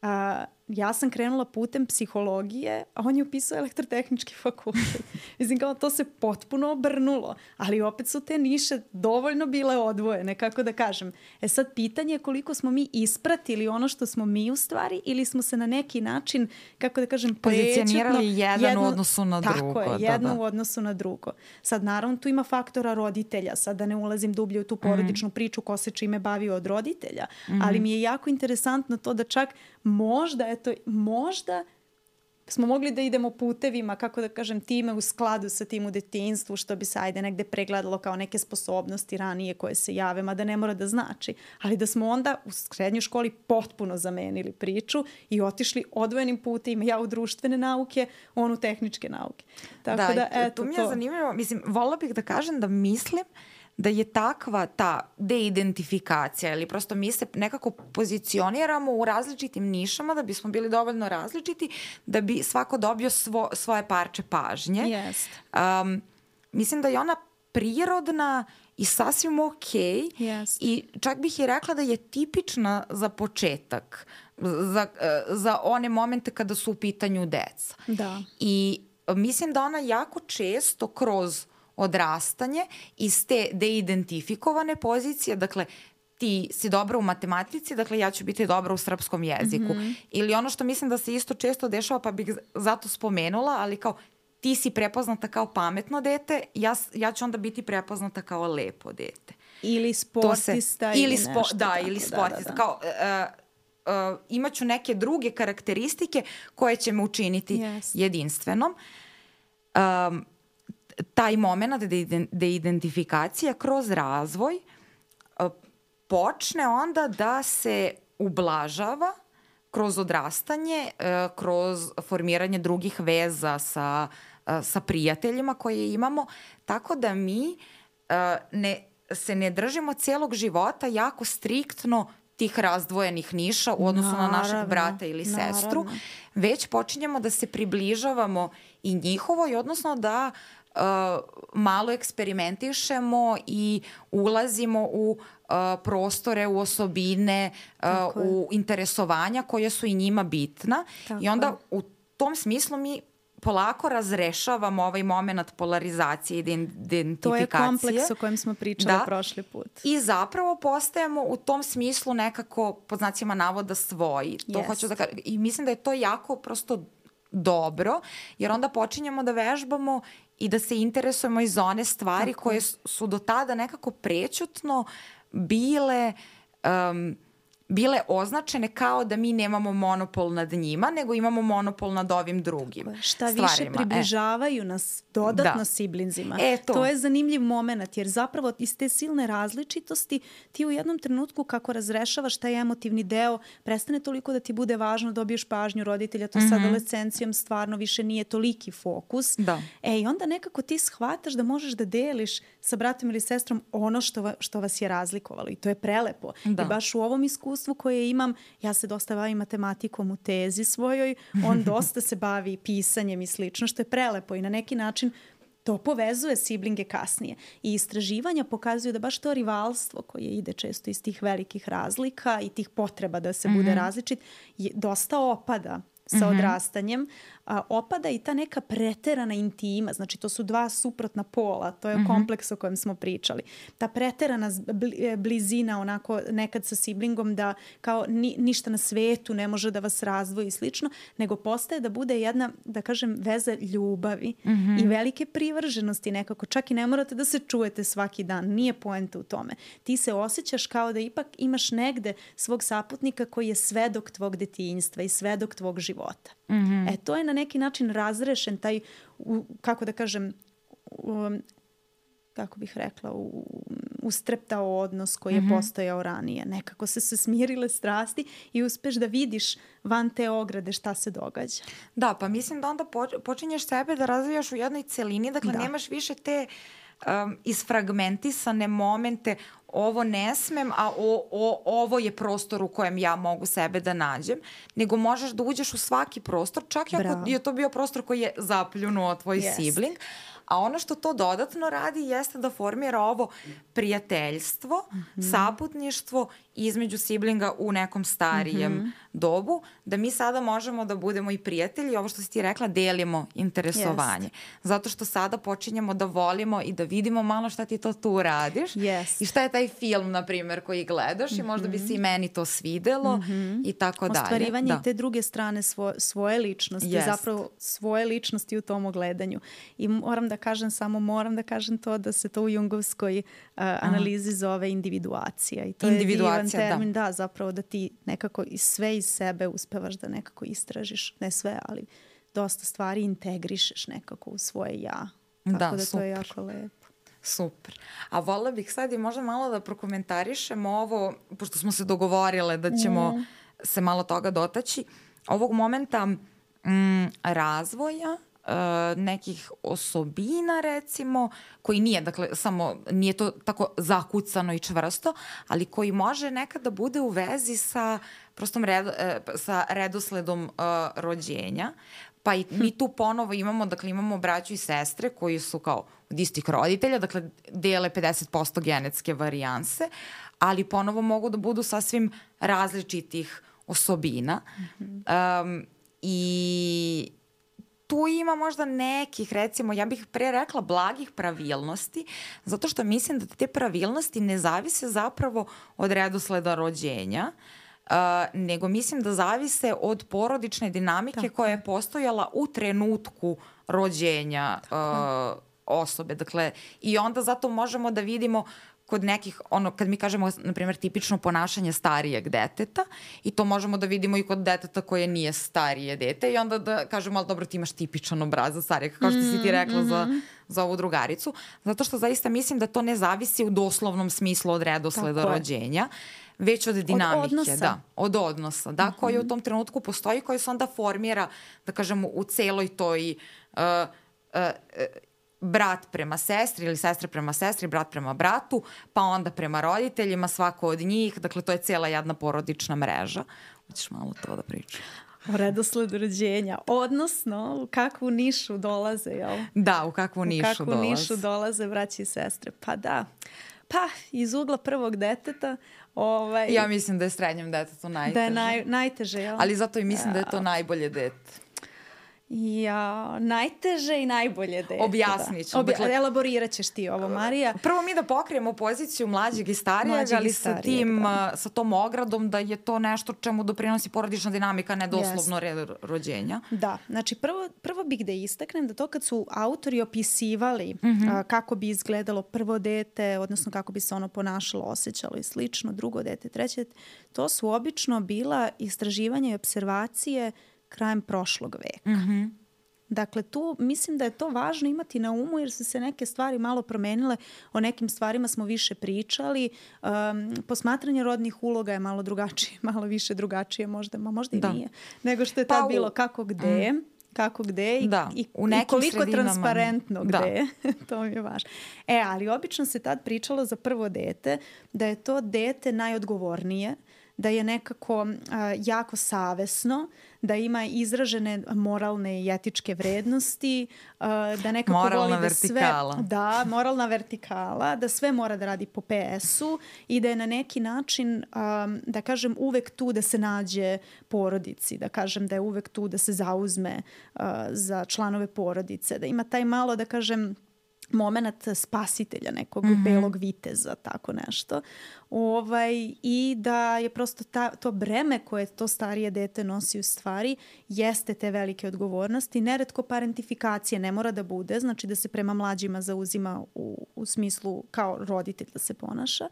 a, ja sam krenula putem psihologije, a on je upisao elektrotehnički fakultet. Mislim, kao to se potpuno obrnulo, ali opet su te niše dovoljno bile odvojene, kako da kažem. E sad, pitanje je koliko smo mi ispratili ono što smo mi u stvari ili smo se na neki način, kako da kažem, pozicionirali jedan jedno, u odnosu na drugo. Tako je, da, jedno da. u odnosu na drugo. Sad, naravno, tu ima faktora roditelja. Sad da ne ulazim dublje u tu porodičnu mm. priču ko se čime bavio od roditelja, mm. ali mi je jako interesantno to da čak možda, eto, možda smo mogli da idemo putevima, kako da kažem, time u skladu sa tim u detinjstvu, što bi se ajde negde pregledalo kao neke sposobnosti ranije koje se jave, mada ne mora da znači, ali da smo onda u srednjoj školi potpuno zamenili priču i otišli odvojenim putevima, ja u društvene nauke, on u tehničke nauke. Tako da, da eto, tu mi je to. Zanimljivo, mislim, volila bih da kažem da mislim da je takva ta deidentifikacija ili prosto mi se nekako pozicioniramo u različitim nišama da bismo bili dovoljno različiti da bi svako dobio svo, svoje parče pažnje. Yes. Um, mislim da je ona prirodna i sasvim okej yes. i čak bih i rekla da je tipična za početak za, za one momente kada su u pitanju deca. Da. I mislim da ona jako često kroz odrastanje iz te deidentifikovane pozicije, dakle, ti si dobra u matematici, dakle ja ću biti dobra u srpskom jeziku. Mm-hmm. Ili ono što mislim da se isto često dešava, pa bih zato spomenula, ali kao ti si prepoznata kao pametno dete, ja, ja ću onda biti prepoznata kao lepo dete. Ili sportista se, ili, ili nešto. Spo, da, tako, ili da, sportista. Da, da. Kao, uh, uh, imaću neke druge karakteristike koje će me učiniti yes. jedinstvenom. Um, taj moment deidentifikacija kroz razvoj uh, počne onda da se ublažava kroz odrastanje, uh, kroz formiranje drugih veza sa, uh, sa prijateljima koje imamo, tako da mi uh, ne, se ne držimo celog života jako striktno tih razdvojenih niša u odnosu naravno, na našeg brata ili naravno. sestru, već počinjemo da se približavamo i njihovoj, odnosno da uh, malo eksperimentišemo i ulazimo u uh, prostore, u osobine, uh, u interesovanja koje su i njima bitna. Tako I onda je. u tom smislu mi polako razrešavamo ovaj moment polarizacije i identifikacije. To je kompleks o kojem smo pričali da. prošli put. I zapravo postajemo u tom smislu nekako, pod znacima navoda, svoji. To yes. hoću da kažem. I mislim da je to jako prosto dobro, jer onda počinjemo da vežbamo i da se interesujemo iz one stvari Tako. koje su do tada nekako prećutno bile... Um, bile označene kao da mi nemamo monopol nad njima, nego imamo monopol nad ovim drugim Šta stvarima. više približavaju e. nas dodatno da. siblinzima. E, to. to je zanimljiv moment, jer zapravo iz te silne različitosti ti u jednom trenutku kako razrešavaš taj emotivni deo, prestane toliko da ti bude važno, dobiješ pažnju roditelja, to mm-hmm. sa adolescencijom stvarno više nije toliki fokus. Da. E, i onda nekako ti shvataš da možeš da deliš sa bratom ili sestrom ono što, va, što vas je razlikovalo i to je prelepo. Da. I baš u ovom iskustvu koje imam, ja se dosta bavim matematikom u tezi svojoj, on dosta se bavi pisanjem i slično, što je prelepo i na neki način to povezuje siblinge kasnije. I istraživanja pokazuju da baš to rivalstvo koje ide često iz tih velikih razlika i tih potreba da se mm-hmm. bude različit, je, dosta opada sa mm-hmm. odrastanjem. A, opada i ta neka preterana intima, znači to su dva suprotna pola, to je mm-hmm. kompleks o kojem smo pričali. Ta preterana blizina onako nekad sa siblingom da kao ni, ništa na svetu ne može da vas razdvoji i slično, nego postaje da bude jedna, da kažem, veza ljubavi mm-hmm. i velike privrženosti nekako. Čak i ne morate da se čujete svaki dan, nije poenta u tome. Ti se osjećaš kao da ipak imaš negde svog saputnika koji je svedok tvog detinjstva i svedok tvog života. Mm-hmm. E, to je na neki način razrešen taj, u, kako da kažem, um, kako bih rekla, u, ustreptao odnos koji je mm-hmm. postojao ranije. Nekako se se smirile strasti i uspeš da vidiš van te ograde šta se događa. Da, pa mislim da onda počinješ sebe da razvijaš u jednoj celini, dakle da. nemaš više te um, isfragmentisane momente, ovo ne smem, a o, o, ovo je prostor u kojem ja mogu sebe da nađem, nego možeš da uđeš u svaki prostor, čak i ako je to bio prostor koji je zapljunuo tvoj yes. sibling. A ono što to dodatno radi jeste da formira ovo prijateljstvo, mm-hmm. saputništvo između siblinga u nekom starijem mm-hmm. dobu, da mi sada možemo da budemo i prijatelji, ovo što si ti rekla, delimo interesovanje. Yes. Zato što sada počinjemo da volimo i da vidimo malo šta ti to tu radiš yes. i šta je taj film, na primjer, koji gledaš mm-hmm. i možda bi se i meni to svidelo mm-hmm. i tako dalje. Ostvarivanje da. te druge strane svo, svoje ličnosti, yes. zapravo svoje ličnosti u tom ogledanju. I moram da kažem, samo moram da kažem to da se to u jungovskoj uh, analizi zove individuacija. I to individuacija, je divan termin, da. da, zapravo da ti nekako sve iz sebe uspevaš da nekako istražiš, ne sve, ali dosta stvari integrišeš nekako u svoje ja. Tako da, da to je jako lepo. Super. A voljela bih sad i možda malo da prokomentarišemo ovo, pošto smo se dogovorile da ćemo mm. se malo toga dotaći, ovog momenta mm, razvoja Uh, nekih osobina recimo, koji nije, dakle, samo nije to tako zakucano i čvrsto, ali koji može nekada bude u vezi sa prostom red, uh, sa redosledom uh, rođenja. Pa i mi tu ponovo imamo, dakle, imamo braću i sestre koji su kao od istih roditelja, dakle, dele pedeset posto genetske varijanse, ali ponovo mogu da budu sasvim različitih osobina. Mm-hmm. Um, I tu ima možda nekih, recimo, ja bih pre rekla blagih pravilnosti, zato što mislim da te pravilnosti ne zavise zapravo od redosleda rođenja, uh, nego mislim da zavise od porodične dinamike Tako. koja je postojala u trenutku rođenja uh, osobe. Dakle, i onda zato možemo da vidimo kod nekih, ono, kad mi kažemo, na primjer, tipično ponašanje starijeg deteta, i to možemo da vidimo i kod deteta koje nije starije dete, i onda da kažemo, ali dobro, ti imaš tipičan obrazac starijeg, kao što si ti rekla mm-hmm. za, za ovu drugaricu, zato što zaista mislim da to ne zavisi u doslovnom smislu od redosleda rođenja, već od dinamike. Od odnosa. Da, od odnosa, da, mm-hmm. koji u tom trenutku postoji, koji se onda formira, da kažemo, u celoj toj uh, uh, uh, brat prema sestri ili sestra prema sestri, brat prema bratu, pa onda prema roditeljima, svako od njih. Dakle, to je cijela jedna porodična mreža. Hoćeš malo to da pričam? O redosledu rođenja, odnosno u kakvu nišu dolaze, jel? Da, u kakvu nišu dolaze. U kakvu dolaze. nišu dolaze braći i sestre. Pa da, pa iz ugla prvog deteta. Ovaj, ja mislim da je srednjem detetu najteže. Da je naj, najteže, jel? Ali zato i mislim ja. da je to najbolje dete. Ja, najteže i najbolje dete. Objasnit ću. Obja- dakle, elaborirat ćeš ti ovo, Marija. Prvo mi da pokrijemo poziciju mlađeg i starijeg, mlađeg ali i starijeg, sa, tim, da. sa tom ogradom da je to nešto čemu doprinosi porodična dinamika, ne doslovno red rođenja. Da, znači prvo, prvo bih da istaknem da to kad su autori opisivali mm-hmm. a, kako bi izgledalo prvo dete, odnosno kako bi se ono ponašalo, osjećalo i slično, drugo dete, treće dete, to su obično bila istraživanja i observacije krajem prošlog veka. Mm-hmm. Dakle, tu mislim da je to važno imati na umu jer su se neke stvari malo promenile. O nekim stvarima smo više pričali. Um, posmatranje rodnih uloga je malo drugačije, malo više drugačije možda, ma možda i da. nije, nego što je tad pa, bilo kako gde, mm. kako gde i, da, i, i koliko transparentno gde. To mi je važno. E, ali obično se tad pričalo za prvo dete da je to dete najodgovornije, da je nekako uh, jako savesno, da ima izražene moralne i etičke vrednosti, uh, da nekako moralna voli da vertikala. sve... Da, moralna vertikala, da sve mora da radi po pe esu i da je na neki način, um, da kažem, uvek tu da se nađe porodici, da kažem da je uvek tu da se zauzme uh, za članove porodice, da ima taj malo, da kažem, moment spasitelja, nekog mm-hmm. belog viteza, tako nešto. Ovaj, I da je prosto ta, to breme koje to starije dete nosi u stvari jeste te velike odgovornosti. Neretko parentifikacije ne mora da bude, znači da se prema mlađima zauzima u, u smislu kao roditelj da se ponaša.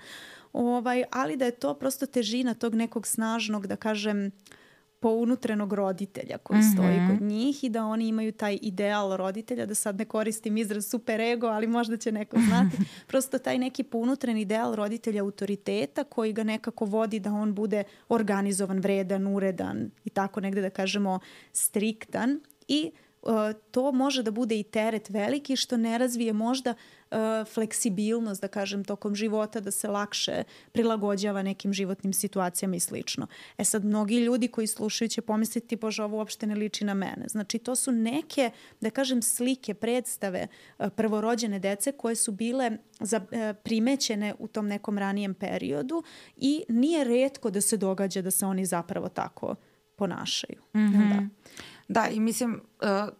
Ovaj, ali da je to prosto težina tog nekog snažnog, da kažem, pounutrenog roditelja koji mm-hmm. stoji kod njih i da oni imaju taj ideal roditelja, da sad ne koristim izraz super ego, ali možda će neko znati. Prosto taj neki pounutren ideal roditelja autoriteta koji ga nekako vodi da on bude organizovan, vredan, uredan i tako negde da kažemo striktan i uh, to može da bude i teret veliki što ne razvije možda uh, fleksibilnost, da kažem, tokom života, da se lakše prilagođava nekim životnim situacijama i slično. E sad, mnogi ljudi koji slušaju će pomisliti, bože, ovo uopšte ne liči na mene. Znači, to su neke, da kažem, slike, predstave uh, prvorođene dece koje su bile za, uh, primećene u tom nekom ranijem periodu i nije retko da se događa da se oni zapravo tako ponašaju. Mm-hmm. Da. Da, i mislim... Uh...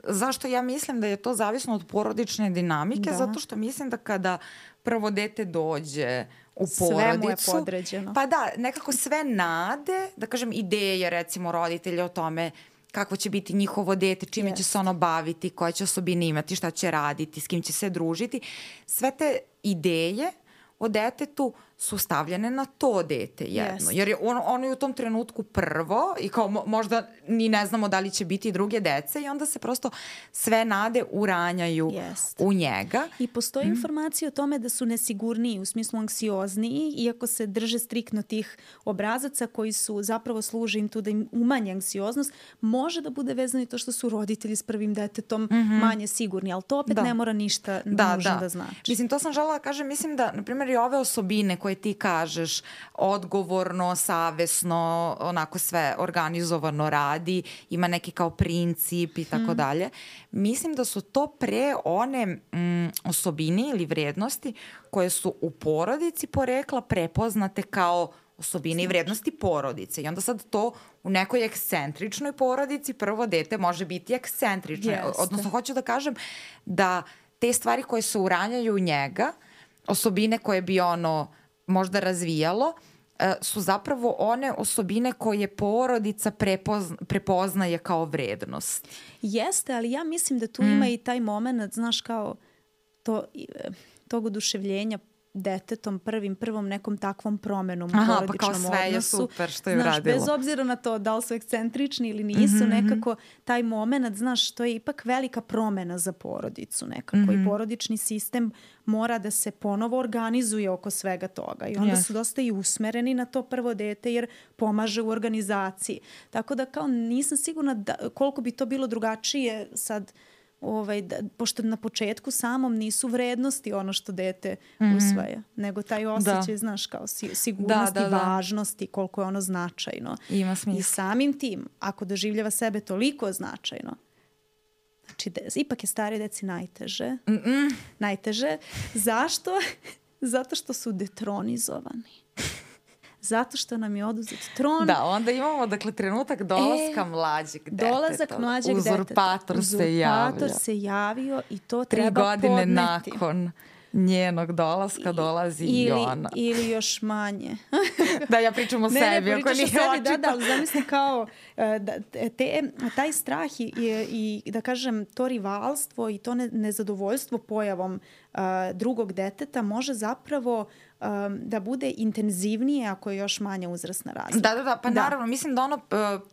Zašto ja mislim da je to zavisno od porodične dinamike? Da. Zato što mislim da kada prvo dete dođe u porodicu... Sve mu je podređeno. Pa da, nekako sve nade, da kažem ideje recimo roditelja o tome kako će biti njihovo dete, čime yes. će se ono baviti, koje će osobine imati, šta će raditi, s kim će se družiti. Sve te ideje o detetu su stavljene na to dete jedno. Yes. Jer je on, ono je u tom trenutku prvo i kao mo, možda ni ne znamo da li će biti druge dece i onda se prosto sve nade uranjaju yes. u njega. I postoji mm. informacija o tome da su nesigurniji, u smislu anksiozniji, iako se drže striktno tih obrazaca koji su zapravo služe im tu da im umanje anksioznost, može da bude vezano i to što su roditelji s prvim detetom mm-hmm. manje sigurni, ali to opet da. ne mora ništa da, nužno da. da znači. Mislim, to sam želela da kažem, mislim da, na primjer, i ove osobine koje ti kažeš, odgovorno, savesno, onako sve organizovano radi, ima neki kao princip i tako hmm. dalje. Mislim da su to pre one mm, osobine ili vrednosti koje su u porodici porekla prepoznate kao osobine i vrednosti porodice. I onda sad to u nekoj ekscentričnoj porodici prvo dete može biti ekscentrično. Jeste. Odnosno, hoću da kažem da te stvari koje se uranjaju u njega, osobine koje bi ono možda razvijalo, su zapravo one osobine koje porodica prepozna, prepoznaje kao vrednost. Jeste, ali ja mislim da tu mm. ima i taj moment, znaš, kao to, tog oduševljenja detetom, prvim, prvom nekom takvom promenom u Aha, porodičnom odnosu. Pa kao sve je super što je znaš, uradilo. Bez obzira na to da li su ekscentrični ili nisu, mm-hmm. nekako taj moment, znaš, to je ipak velika promena za porodicu nekako. Mm-hmm. I porodični sistem mora da se ponovo organizuje oko svega toga. I onda yes. su dosta i usmereni na to prvo dete jer pomaže u organizaciji. Tako da kao nisam sigurna da, koliko bi to bilo drugačije sad. Ovaj, da, pošto na početku samom nisu vrednosti ono što dete mm-hmm. usvaja, nego taj osjećaj, da. Znaš, kao si, sigurnosti, da, da, da. važnosti, koliko je ono značajno. Ima smisla. I samim tim, ako doživljava sebe toliko značajno, znači, de, ipak je starije deci najteže. Mm-mm. Najteže. Zašto? Zato što su detronizovani. Zato što nam je oduzet tron. Da, onda imamo, dakle, trenutak dolaska e, mlađeg deteta. Dolazak mlađeg Uzurpator deteta. se javio. Uzurpator se javio i to Tri treba podneti. Tri godine nakon njenog dolaska dolazi ili, i ona. Ili još manje. Da, ja pričam o ne, sebi. Ne, ne, pričaš o sebi, da, da, ali zamisli kao da, te, taj strah i, i, da kažem, to rivalstvo i to ne, nezadovoljstvo pojavom uh, drugog deteta može zapravo um, da bude intenzivnije ako je još manja uzrasna razlika. Da, da, da, pa da. Naravno, mislim da ono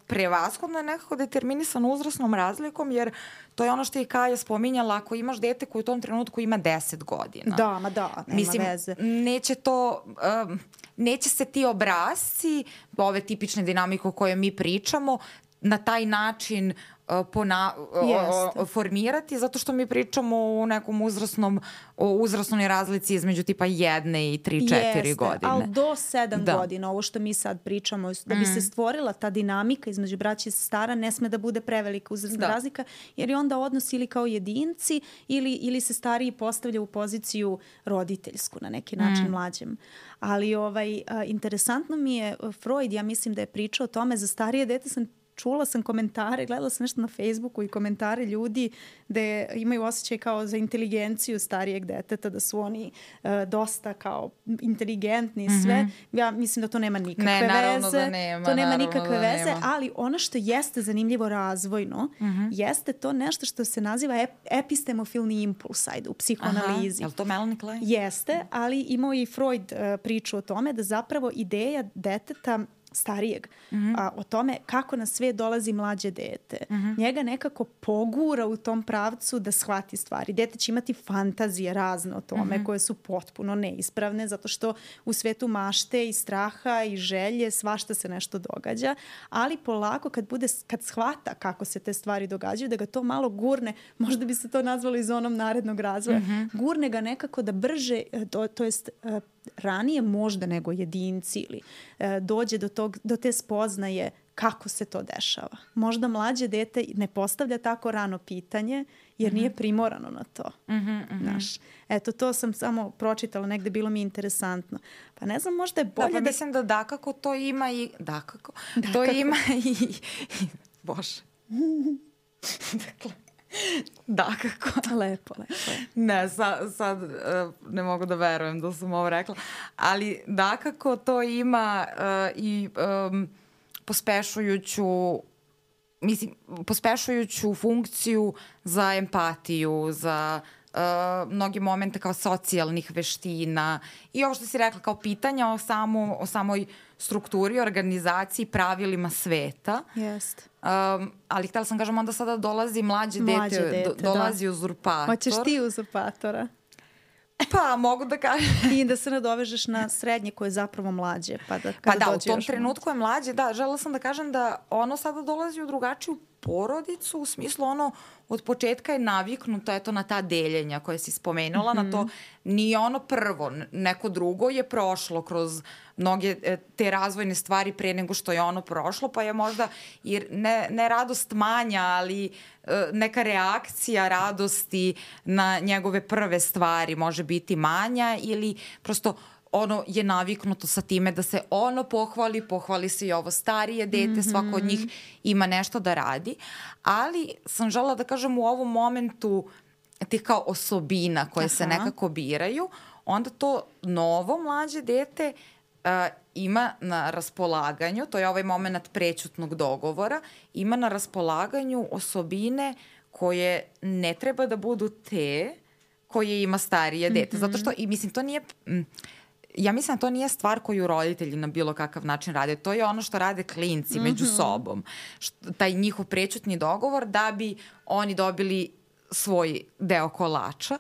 prevashodno je nekako determinisano uzrasnom razlikom, jer to je ono što je Kaja spominjala, ako imaš dete koji u tom trenutku ima deset godina. Da, ma da, nema mislim, veze. Neće to, um, neće se ti obrazci, ove tipične dinamike o kojoj mi pričamo, na taj način Pona, o, o, formirati, zato što mi pričamo o nekom uzrasnom, o uzrasnoj razlici između tipa jedne i tri, četiri godine. Ali do sedam da. godina, ovo što mi sad pričamo, da bi mm. se stvorila ta dinamika između braće i sestara, ne sme da bude prevelika uzrasna da. razlika, jer je onda odnos ili kao jedinci ili, ili se stariji postavlja u poziciju roditeljsku na neki način mm. mlađem. Ali ovaj, a, interesantno mi je Freud, ja mislim da je pričao o tome, za starije dete sam čula sam komentare, gledala sam nešto na Facebooku i komentare ljudi da imaju osjećaj kao za inteligenciju starijeg deteta, da su oni uh, dosta kao inteligentni i sve. Mm-hmm. Ja mislim da to nema nikakve ne, naravno veze. Da nema, to nema nikakve da veze, nema. Ali ono što jeste zanimljivo razvojno, mm-hmm. jeste to nešto što se naziva ep- epistemofilni impuls, ajde, u psihoanalizi. Aha, je li to Melanie Klein? Jeste, ali imao i Freud uh, priču o tome da zapravo ideja deteta starijeg, mm-hmm. a, o tome kako na svijet dolazi mlađe dete. Mm-hmm. Njega nekako pogura u tom pravcu da shvati stvari. Dete će imati fantazije razne o tome, mm-hmm. koje su potpuno neispravne, zato što u svetu mašte i straha i želje svašta se nešto događa, ali polako kad bude, kad shvata kako se te stvari događaju, da ga to malo gurne, možda bi se to nazvalo i zonom narednog razvoja, mm-hmm. gurne ga nekako da brže, to, to jest ranije možda nego jedinci ili e, dođe do, tog, do te spoznaje kako se to dešava. Možda mlađe dete ne postavlja tako rano pitanje jer mm-hmm. nije primorano na to. Mm-hmm, mm-hmm. Znaš, eto, to sam samo pročitala, negde bilo mi interesantno. Pa ne znam, možda je bolje da... Pa da... mislim da dakako to ima i... Dakako? dakako. To ima i... Bože. Dakle... Da, kako? Lepo, lepo. Ne, sad, sad uh, ne mogu da verujem da sam ovo rekla, ali dakako to ima uh, i um, pospešujuću, mislim, pospešujuću funkciju za empatiju, za uh, mnogi momente kao socijalnih veština i ovo što si rekla kao pitanja o, samo, o samoj strukturi, organizaciji, pravilima sveta. Jeste. Um, ali htjela sam kažem, onda sada dolazi mlađe, mlađe dete, dete, do, dolazi da. uzurpator. Hoćeš ti uzurpatora? Pa, mogu da kažem. I da se nadovežeš na srednje koje je zapravo mlađe. Pa da, pa da, u tom trenutku je mlađe. Da, želela sam da kažem da ono sada dolazi u drugačiju porodicu, u smislu ono od početka je naviknuto eto na ta deljenja koje si spomenula, mm-hmm. na to nije ono prvo, neko drugo je prošlo kroz mnoge te razvojne stvari pre nego što je ono prošlo, pa je možda i ne, ne radost manja, ali neka reakcija radosti na njegove prve stvari može biti manja ili prosto ono je naviknuto sa time da se ono pohvali, pohvali se i ovo starije dete, mm-hmm. svako od njih ima nešto da radi, ali sam želela da kažem u ovom momentu tih kao osobina koje Aha. se nekako biraju, onda to novo mlađe dete uh, ima na raspolaganju, to je ovaj moment prećutnog dogovora, ima na raspolaganju osobine koje ne treba da budu te koje ima starije dete. Mm-hmm. Zato što, i mislim, to nije... Mm, ja mislim da to nije stvar koju roditelji na bilo kakav način rade. To je ono što rade klinci mm-hmm. među sobom. Što, taj njihov prećutni dogovor da bi oni dobili svoj deo kolača.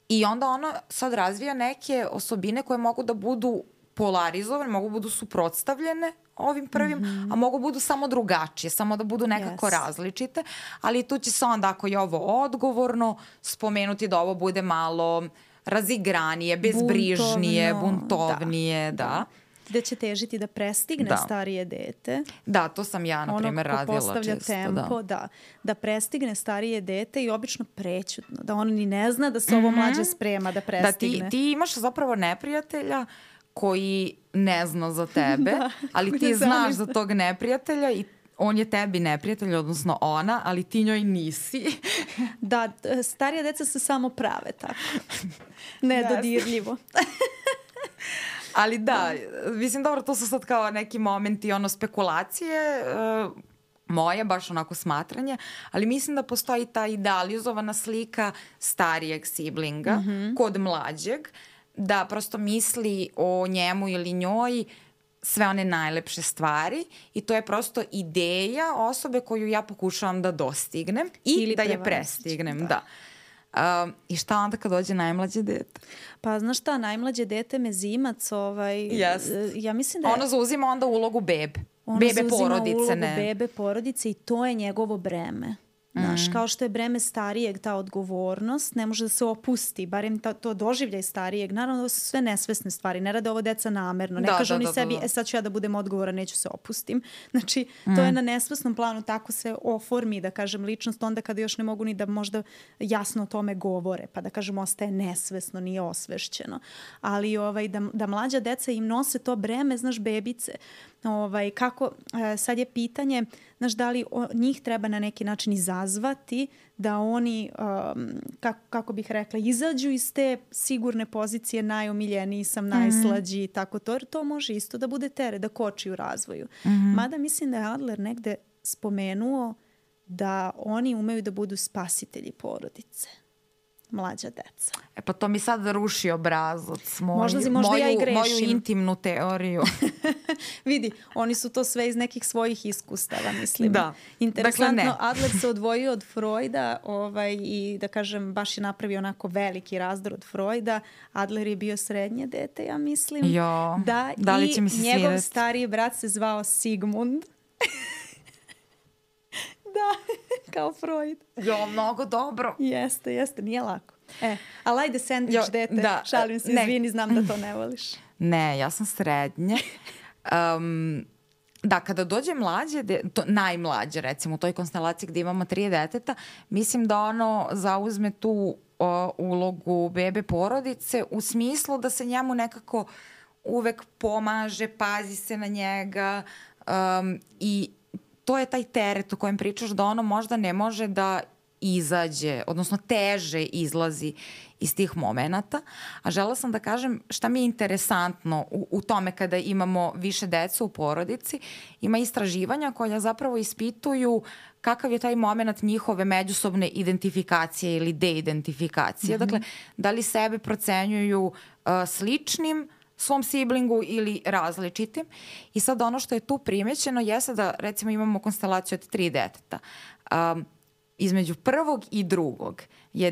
I onda ono sad razvija neke osobine koje mogu da budu polarizovane, mogu budu suprotstavljene ovim prvim, mm-hmm. a mogu budu samo drugačije, samo da budu nekako yes. različite, ali tu će se onda, ako je ovo odgovorno, spomenuti da ovo bude malo razigranije, bezbrižnije, buntovno, buntovnije, da. da. Gde će težiti da prestigne da. starije dete. Da, to sam ja, na primjer, radila često. Ono ko postavlja tempo, da. da. Da prestigne starije dete i obično prećutno. Da on ni ne zna da se ovo mm-hmm. mlađe sprema da prestigne. Da, ti, ti imaš zapravo neprijatelja koji ne zna za tebe, da, ali ti znaš za tog neprijatelja i on je tebi neprijatelj, odnosno ona, ali ti njoj nisi. Da, starija deca se samo prave tako. Nedodirljivo. Ali da, mislim, dobro, to su sad kao neki momenti ono spekulacije, uh, moje, baš onako smatranje, ali mislim da postoji ta idealizovana slika starijeg siblinga mm-hmm. kod mlađeg, da prosto misli o njemu ili njoj sve one najlepše stvari i to je prosto ideja osobe koju ja pokušavam da dostignem i ili da je prestignem. Da. Da. Um, I šta onda kad dođe najmlađe dete? Pa znaš šta, najmlađe dete mezimac, ovaj, yes. ja mislim da je... Ono zauzima onda ulogu bebe. Ono bebe zauzima porodice, ulogu ne. bebe porodice i to je njegovo breme. Znaš, mm. kao što je breme starijeg ta odgovornost, ne može da se opusti, barem ta, to doživljaj starijeg. Naravno, ovo su sve nesvesne stvari, ne rade ovo deca namerno. Ne da, kažu da, oni da, sebi, da, da. e sad ću ja da budem odgovoran, neću se opustim. Znači, mm. to je na nesvesnom planu, tako se oformi, da kažem, ličnost, onda kada još ne mogu ni da možda jasno o tome govore, pa da kažem, ostaje nesvesno, nije osvešćeno. Ali ovaj, da, da mlađa deca im nose to breme, znaš, bebice. Ovaj, kako, sad je pitanje, znaš, da li o, njih treba na neki način izazvati da oni, um, kako, kako bih rekla, izađu iz te sigurne pozicije najomiljeniji sam, najslađi i mm-hmm. tako to, jer to može isto da bude teret, da koči u razvoju. Mm-hmm. Mada mislim da je Adler negde spomenuo da oni umeju da budu spasitelji porodice. Mlađa deca. E pa to mi sad ruši obrazac. Moju, možda, možda moju, ja i grešim. Moju intimnu teoriju. Vidi, oni su to sve iz nekih svojih iskustava, mislim. Da. Interesantno, dakle, Adler se odvojio od Freuda ovaj, i da kažem, baš je napravio onako veliki razdor od Freuda. Adler je bio srednje dete, ja mislim. Jo, da, da li će mi se njegov svidjeti? stariji brat se zvao Sigmund. Da, kao Freud. Jo, mnogo dobro. Jeste, jeste, nije lako. E, ali ajde sandvič dete, da, šalim se, izvini, znam da to ne voliš. Ne, ja sam srednje. Um, da, kada dođe mlađe, de, to, najmlađe recimo u toj konstelaciji gde imamo tri deteta, mislim da ono zauzme tu o, ulogu bebe porodice u smislu da se njemu nekako uvek pomaže, pazi se na njega um, i to je taj teret o kojem pričaš da ono možda ne može da izađe, odnosno teže izlazi iz tih momenata. A žela sam da kažem šta mi je interesantno u, u tome kada imamo više dece u porodici. Ima istraživanja koja zapravo ispituju kakav je taj moment njihove međusobne identifikacije ili deidentifikacije. Mm-hmm. Dakle, da li sebe procenjuju uh, sličnim svom siblingu ili različitim. I sad ono što je tu primećeno jeste da recimo imamo konstelaciju od tri deteta. Um, između prvog i drugog je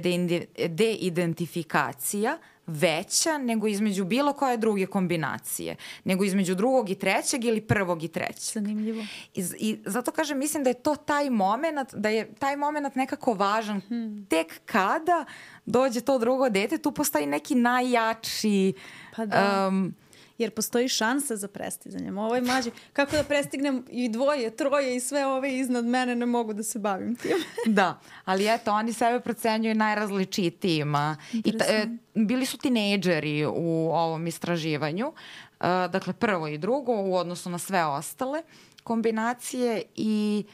deidentifikacija veća nego između bilo koje druge kombinacije. Nego između drugog i trećeg ili prvog i trećeg. Zanimljivo. I, i zato kažem, mislim da je to taj moment, da je taj moment nekako važan. Hmm. Tek kada dođe to drugo dete, tu postoji neki najjači... Pa da. Um, jer postoji šansa za prestizanjem. Ovo je mlađe, kako da prestignem i dvoje, troje i sve ove iznad mene, ne mogu da se bavim tim. Da, ali eto, oni sebe procenjuju najrazličitijima. I ta, e, bili su tinejdžeri u ovom istraživanju, e, dakle prvo i drugo u odnosu na sve ostale kombinacije i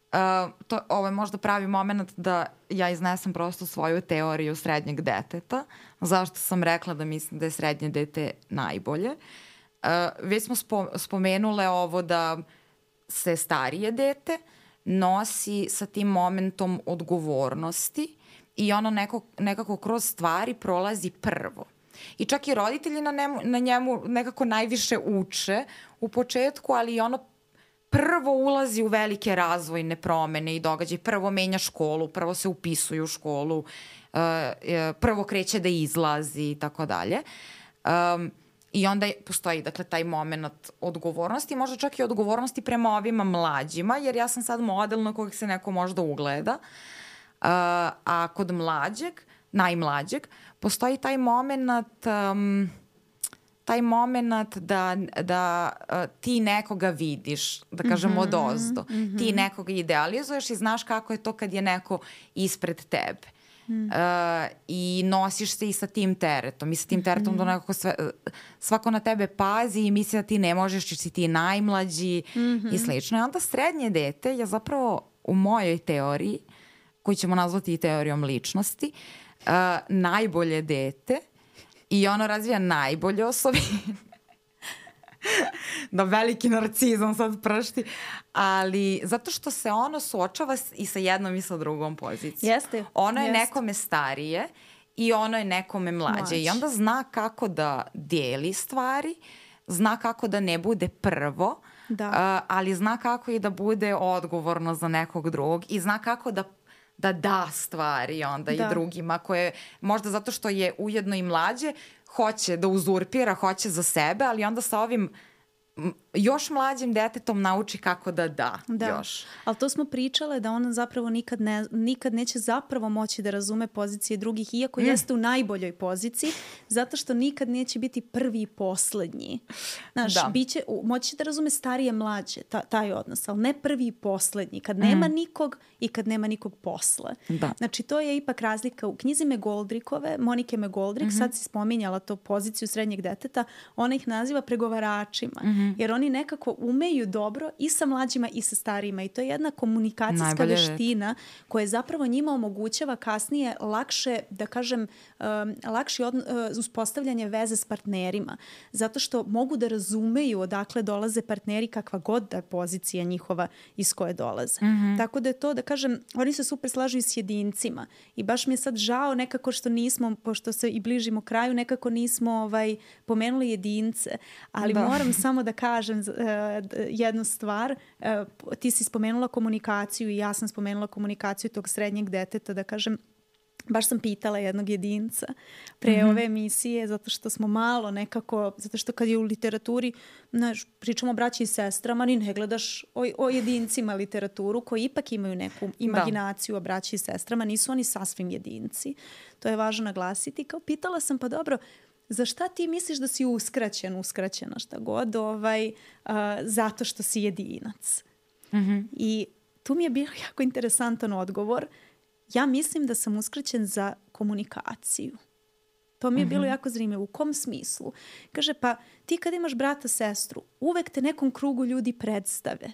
Uh, to, ovo je možda pravi moment da ja iznesem prosto svoju teoriju srednjeg deteta. Zašto sam rekla da mislim da je srednje dete najbolje. Uh, već smo spo, spomenule ovo da se starije dete nosi sa tim momentom odgovornosti i ono neko, nekako kroz stvari prolazi prvo. I čak i roditelji na, nemu, na njemu nekako najviše uče u početku, ali i ono prvo ulazi u velike razvojne promene i događaje. Prvo menja školu, prvo se upisuje u školu, prvo kreće da izlazi i tako dalje. I onda postoji dakle, taj moment odgovornosti, možda čak i odgovornosti prema ovima mlađima, jer ja sam sad model na kojeg se neko možda ugleda. A kod mlađeg, najmlađeg, postoji taj moment... Um, taj moment da, da uh, ti nekoga vidiš, da kažem mm-hmm, odozdo. Mm-hmm. Ti nekoga idealizuješ i znaš kako je to kad je neko ispred tebe. Mm. Uh, I nosiš se i sa tim teretom. I sa tim teretom mm-hmm. da nekako sve, svako na tebe pazi i misli da ti ne možeš, jer si ti najmlađi mm-hmm. i slično. I onda srednje dete je zapravo u mojoj teoriji, koju ćemo nazvati i teorijom ličnosti, uh, najbolje dete. I ono razvija najbolje osobine. Da, veliki narcizam sad pršti. Ali zato što se ono suočava i sa jednom i sa drugom pozicijom. Jeste. Ono je jeste. nekome starije i ono je nekome mlađe. Mlađe. I onda zna kako da dijeli stvari, zna kako da ne bude prvo, da. Uh, ali zna kako i da bude odgovorno za nekog drugog i zna kako da da da stvari onda da. i drugima koje možda zato što je ujedno i mlađe hoće da uzurpira, hoće za sebe, ali onda sa ovim još mlađim detetom nauči kako da da, da. još. Ali to smo pričale da ona zapravo nikad, ne, nikad neće zapravo moći da razume pozicije drugih, iako mm. jeste u najboljoj poziciji, zato što nikad neće biti prvi i poslednji. Znaš, da. biće, moći da razume starije mlađe, ta, taj odnos, ali ne prvi i poslednji, kad mm. nema nikog i kad nema nikog posle. Da. Znači, to je ipak razlika. U knjizi Megoldrikove, Monike Megoldrik, mm-hmm. sad si spominjala to poziciju srednjeg deteta, ona ih naziva pregovaračima. Mm-hmm. Jer oni nekako umeju dobro i sa mlađima i sa starijima i to je jedna komunikacijska Najbolje veština red. koja zapravo njima omogućava kasnije lakše, da kažem, um, lakše od, uh, uspostavljanje veze s partnerima. Zato što mogu da razumeju odakle dolaze partneri kakva god da je pozicija njihova iz koje dolaze. Mm-hmm. Tako da je to, da kažem, oni se super slažu i s jedincima i baš mi je sad žao nekako što nismo, pošto se i bližimo kraju, nekako nismo ovaj, pomenuli jedince, ali da. moram samo da kažem uh, jednu stvar. Uh, ti si spomenula komunikaciju i ja sam spomenula komunikaciju tog srednjeg deteta, da kažem, baš sam pitala jednog jedinca pre mm-hmm. ove emisije, zato što smo malo nekako, zato što kad je u literaturi, znaš, pričamo o braći i sestrama, ni ne gledaš o, o jedincima literaturu koji ipak imaju neku imaginaciju da. o braći i sestrama, nisu oni sasvim jedinci. To je važno naglasiti. Kao pitala sam, pa dobro, za šta ti misliš da si uskraćen, uskraćena, šta god, ovaj, uh, zato što si jedinac? Mm-hmm. I tu mi je bio jako interesantan odgovor. Ja mislim da sam uskraćen za komunikaciju. To mi je mm-hmm. bilo jako zanimljivo. U kom smislu? Kaže, pa ti kad imaš brata, sestru, uvek te nekom krugu ljudi predstave.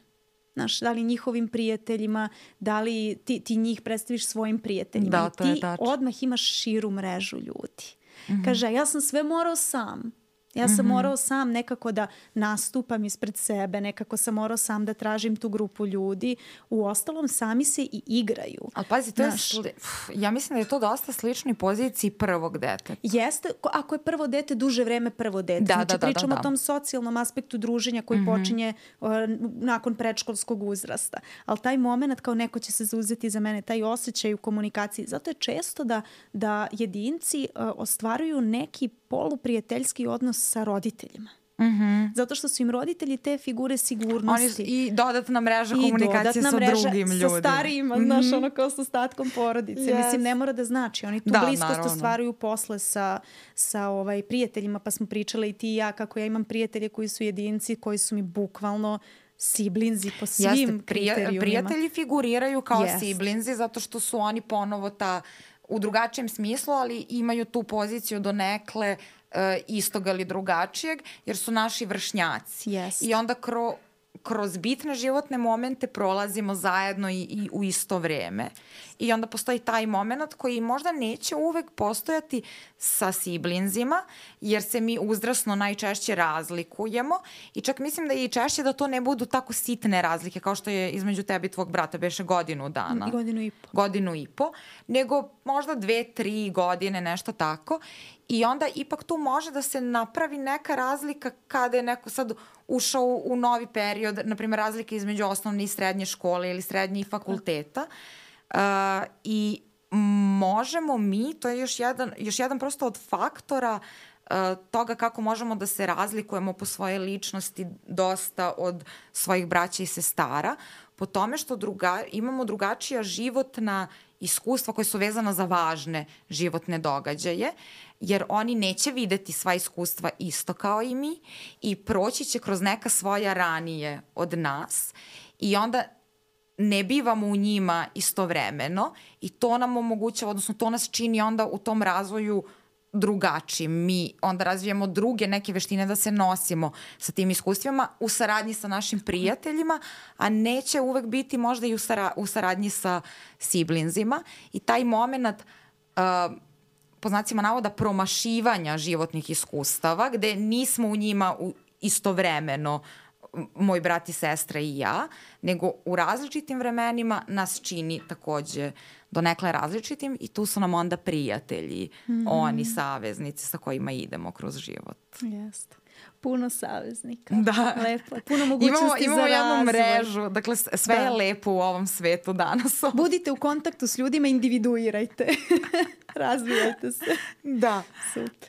Znaš, da li njihovim prijateljima, da li ti, ti njih predstaviš svojim prijateljima. Da, to je ti tačno. Odmah imaš širu mrežu ljudi. Mm-hmm. Kaže, ja sam sve morao sam. Ja sam mm-hmm. morao sam nekako da nastupam ispred sebe, nekako sam morao sam da tražim tu grupu ljudi. U ostalom, sami se i igraju. Ali pazi, to Naš... je sli... ja mislim da je to dosta sličnoj poziciji prvog deteta. Jeste, ako je prvo dete, duže vreme prvo dete. Da, znači, da, da, pričamo da, da. o tom socijalnom aspektu druženja koji mm-hmm. počinje uh, nakon predškolskog uzrasta. Ali taj moment kao neko će se zauzeti za mene, taj osjećaj u komunikaciji. Zato je često da, da jedinci uh, ostvaruju neki poluprijateljski odnos sa roditeljima. Mm-hmm. Zato što su im roditelji te figure sigurnosti. Oni, I dodatna mreža komunikacije sa mreža drugim ljudima. Sa starijima, mm-hmm. znaš, ono kao sa ostatkom porodice. Yes. Mislim, ne mora da znači. Oni tu da, bliskost naravno. Ostvaruju posle sa, sa ovaj, prijateljima, pa smo pričale i ti i ja kako ja imam prijatelje koji su jedinci, koji su mi bukvalno siblinzi po svim Jeste, prija, kriterijumima. Prijatelji figuriraju kao yes. siblinzi zato što su oni ponovo ta u drugačijem smislu, ali imaju tu poziciju donekle uh, istog ali drugačijeg, jer su naši vršnjaci. Yes. I onda kro, kroz bitne životne momente prolazimo zajedno i, i u isto vreme. I onda postoji taj moment koji možda neće uvek postojati sa siblinzima, jer se mi uzrasno najčešće razlikujemo i čak mislim da je i češće da to ne budu tako sitne razlike kao što je između tebe i tvog brata beše godinu dana. I godinu i po. Godinu i po, nego možda dve, tri godine, nešto tako. I onda ipak tu može da se napravi neka razlika kada je neko sad ušao u, u novi period, na primjer razlika između osnovne i srednje škole ili srednje i fakulteta. Uh, I možemo mi, to je još jedan, još jedan prosto od faktora uh, toga kako možemo da se razlikujemo po svoje ličnosti dosta od svojih braća i sestara, po tome što druga, imamo drugačija životna iskustva koje su vezana za važne životne događaje, jer oni neće videti sva iskustva isto kao i mi i proći će kroz neka svoja ranije od nas i onda ne bivamo u njima istovremeno i to nam omogućava, odnosno to nas čini onda u tom razvoju drugačijim. Mi onda razvijamo druge neke veštine da se nosimo sa tim iskustvima u saradnji sa našim prijateljima, a neće uvek biti možda i u, sara, u saradnji sa siblinzima i taj moment uh, po znacima navoda promašivanja životnih iskustava gde nismo u njima u, istovremeno moj brat i sestra i ja, nego u različitim vremenima nas čini takođe donekle različitim i tu su nam onda prijatelji, mm-hmm. oni saveznici sa kojima idemo kroz život. Jeste. Puno saveznika. Da. Lepo. Puno mogućnosti imamo, za razvoj. Imamo jednu mrežu. Dakle, sve da. Je lepo u ovom svetu danas. Budite u kontaktu s ljudima, individuirajte. Razvijajte se. Da. Super.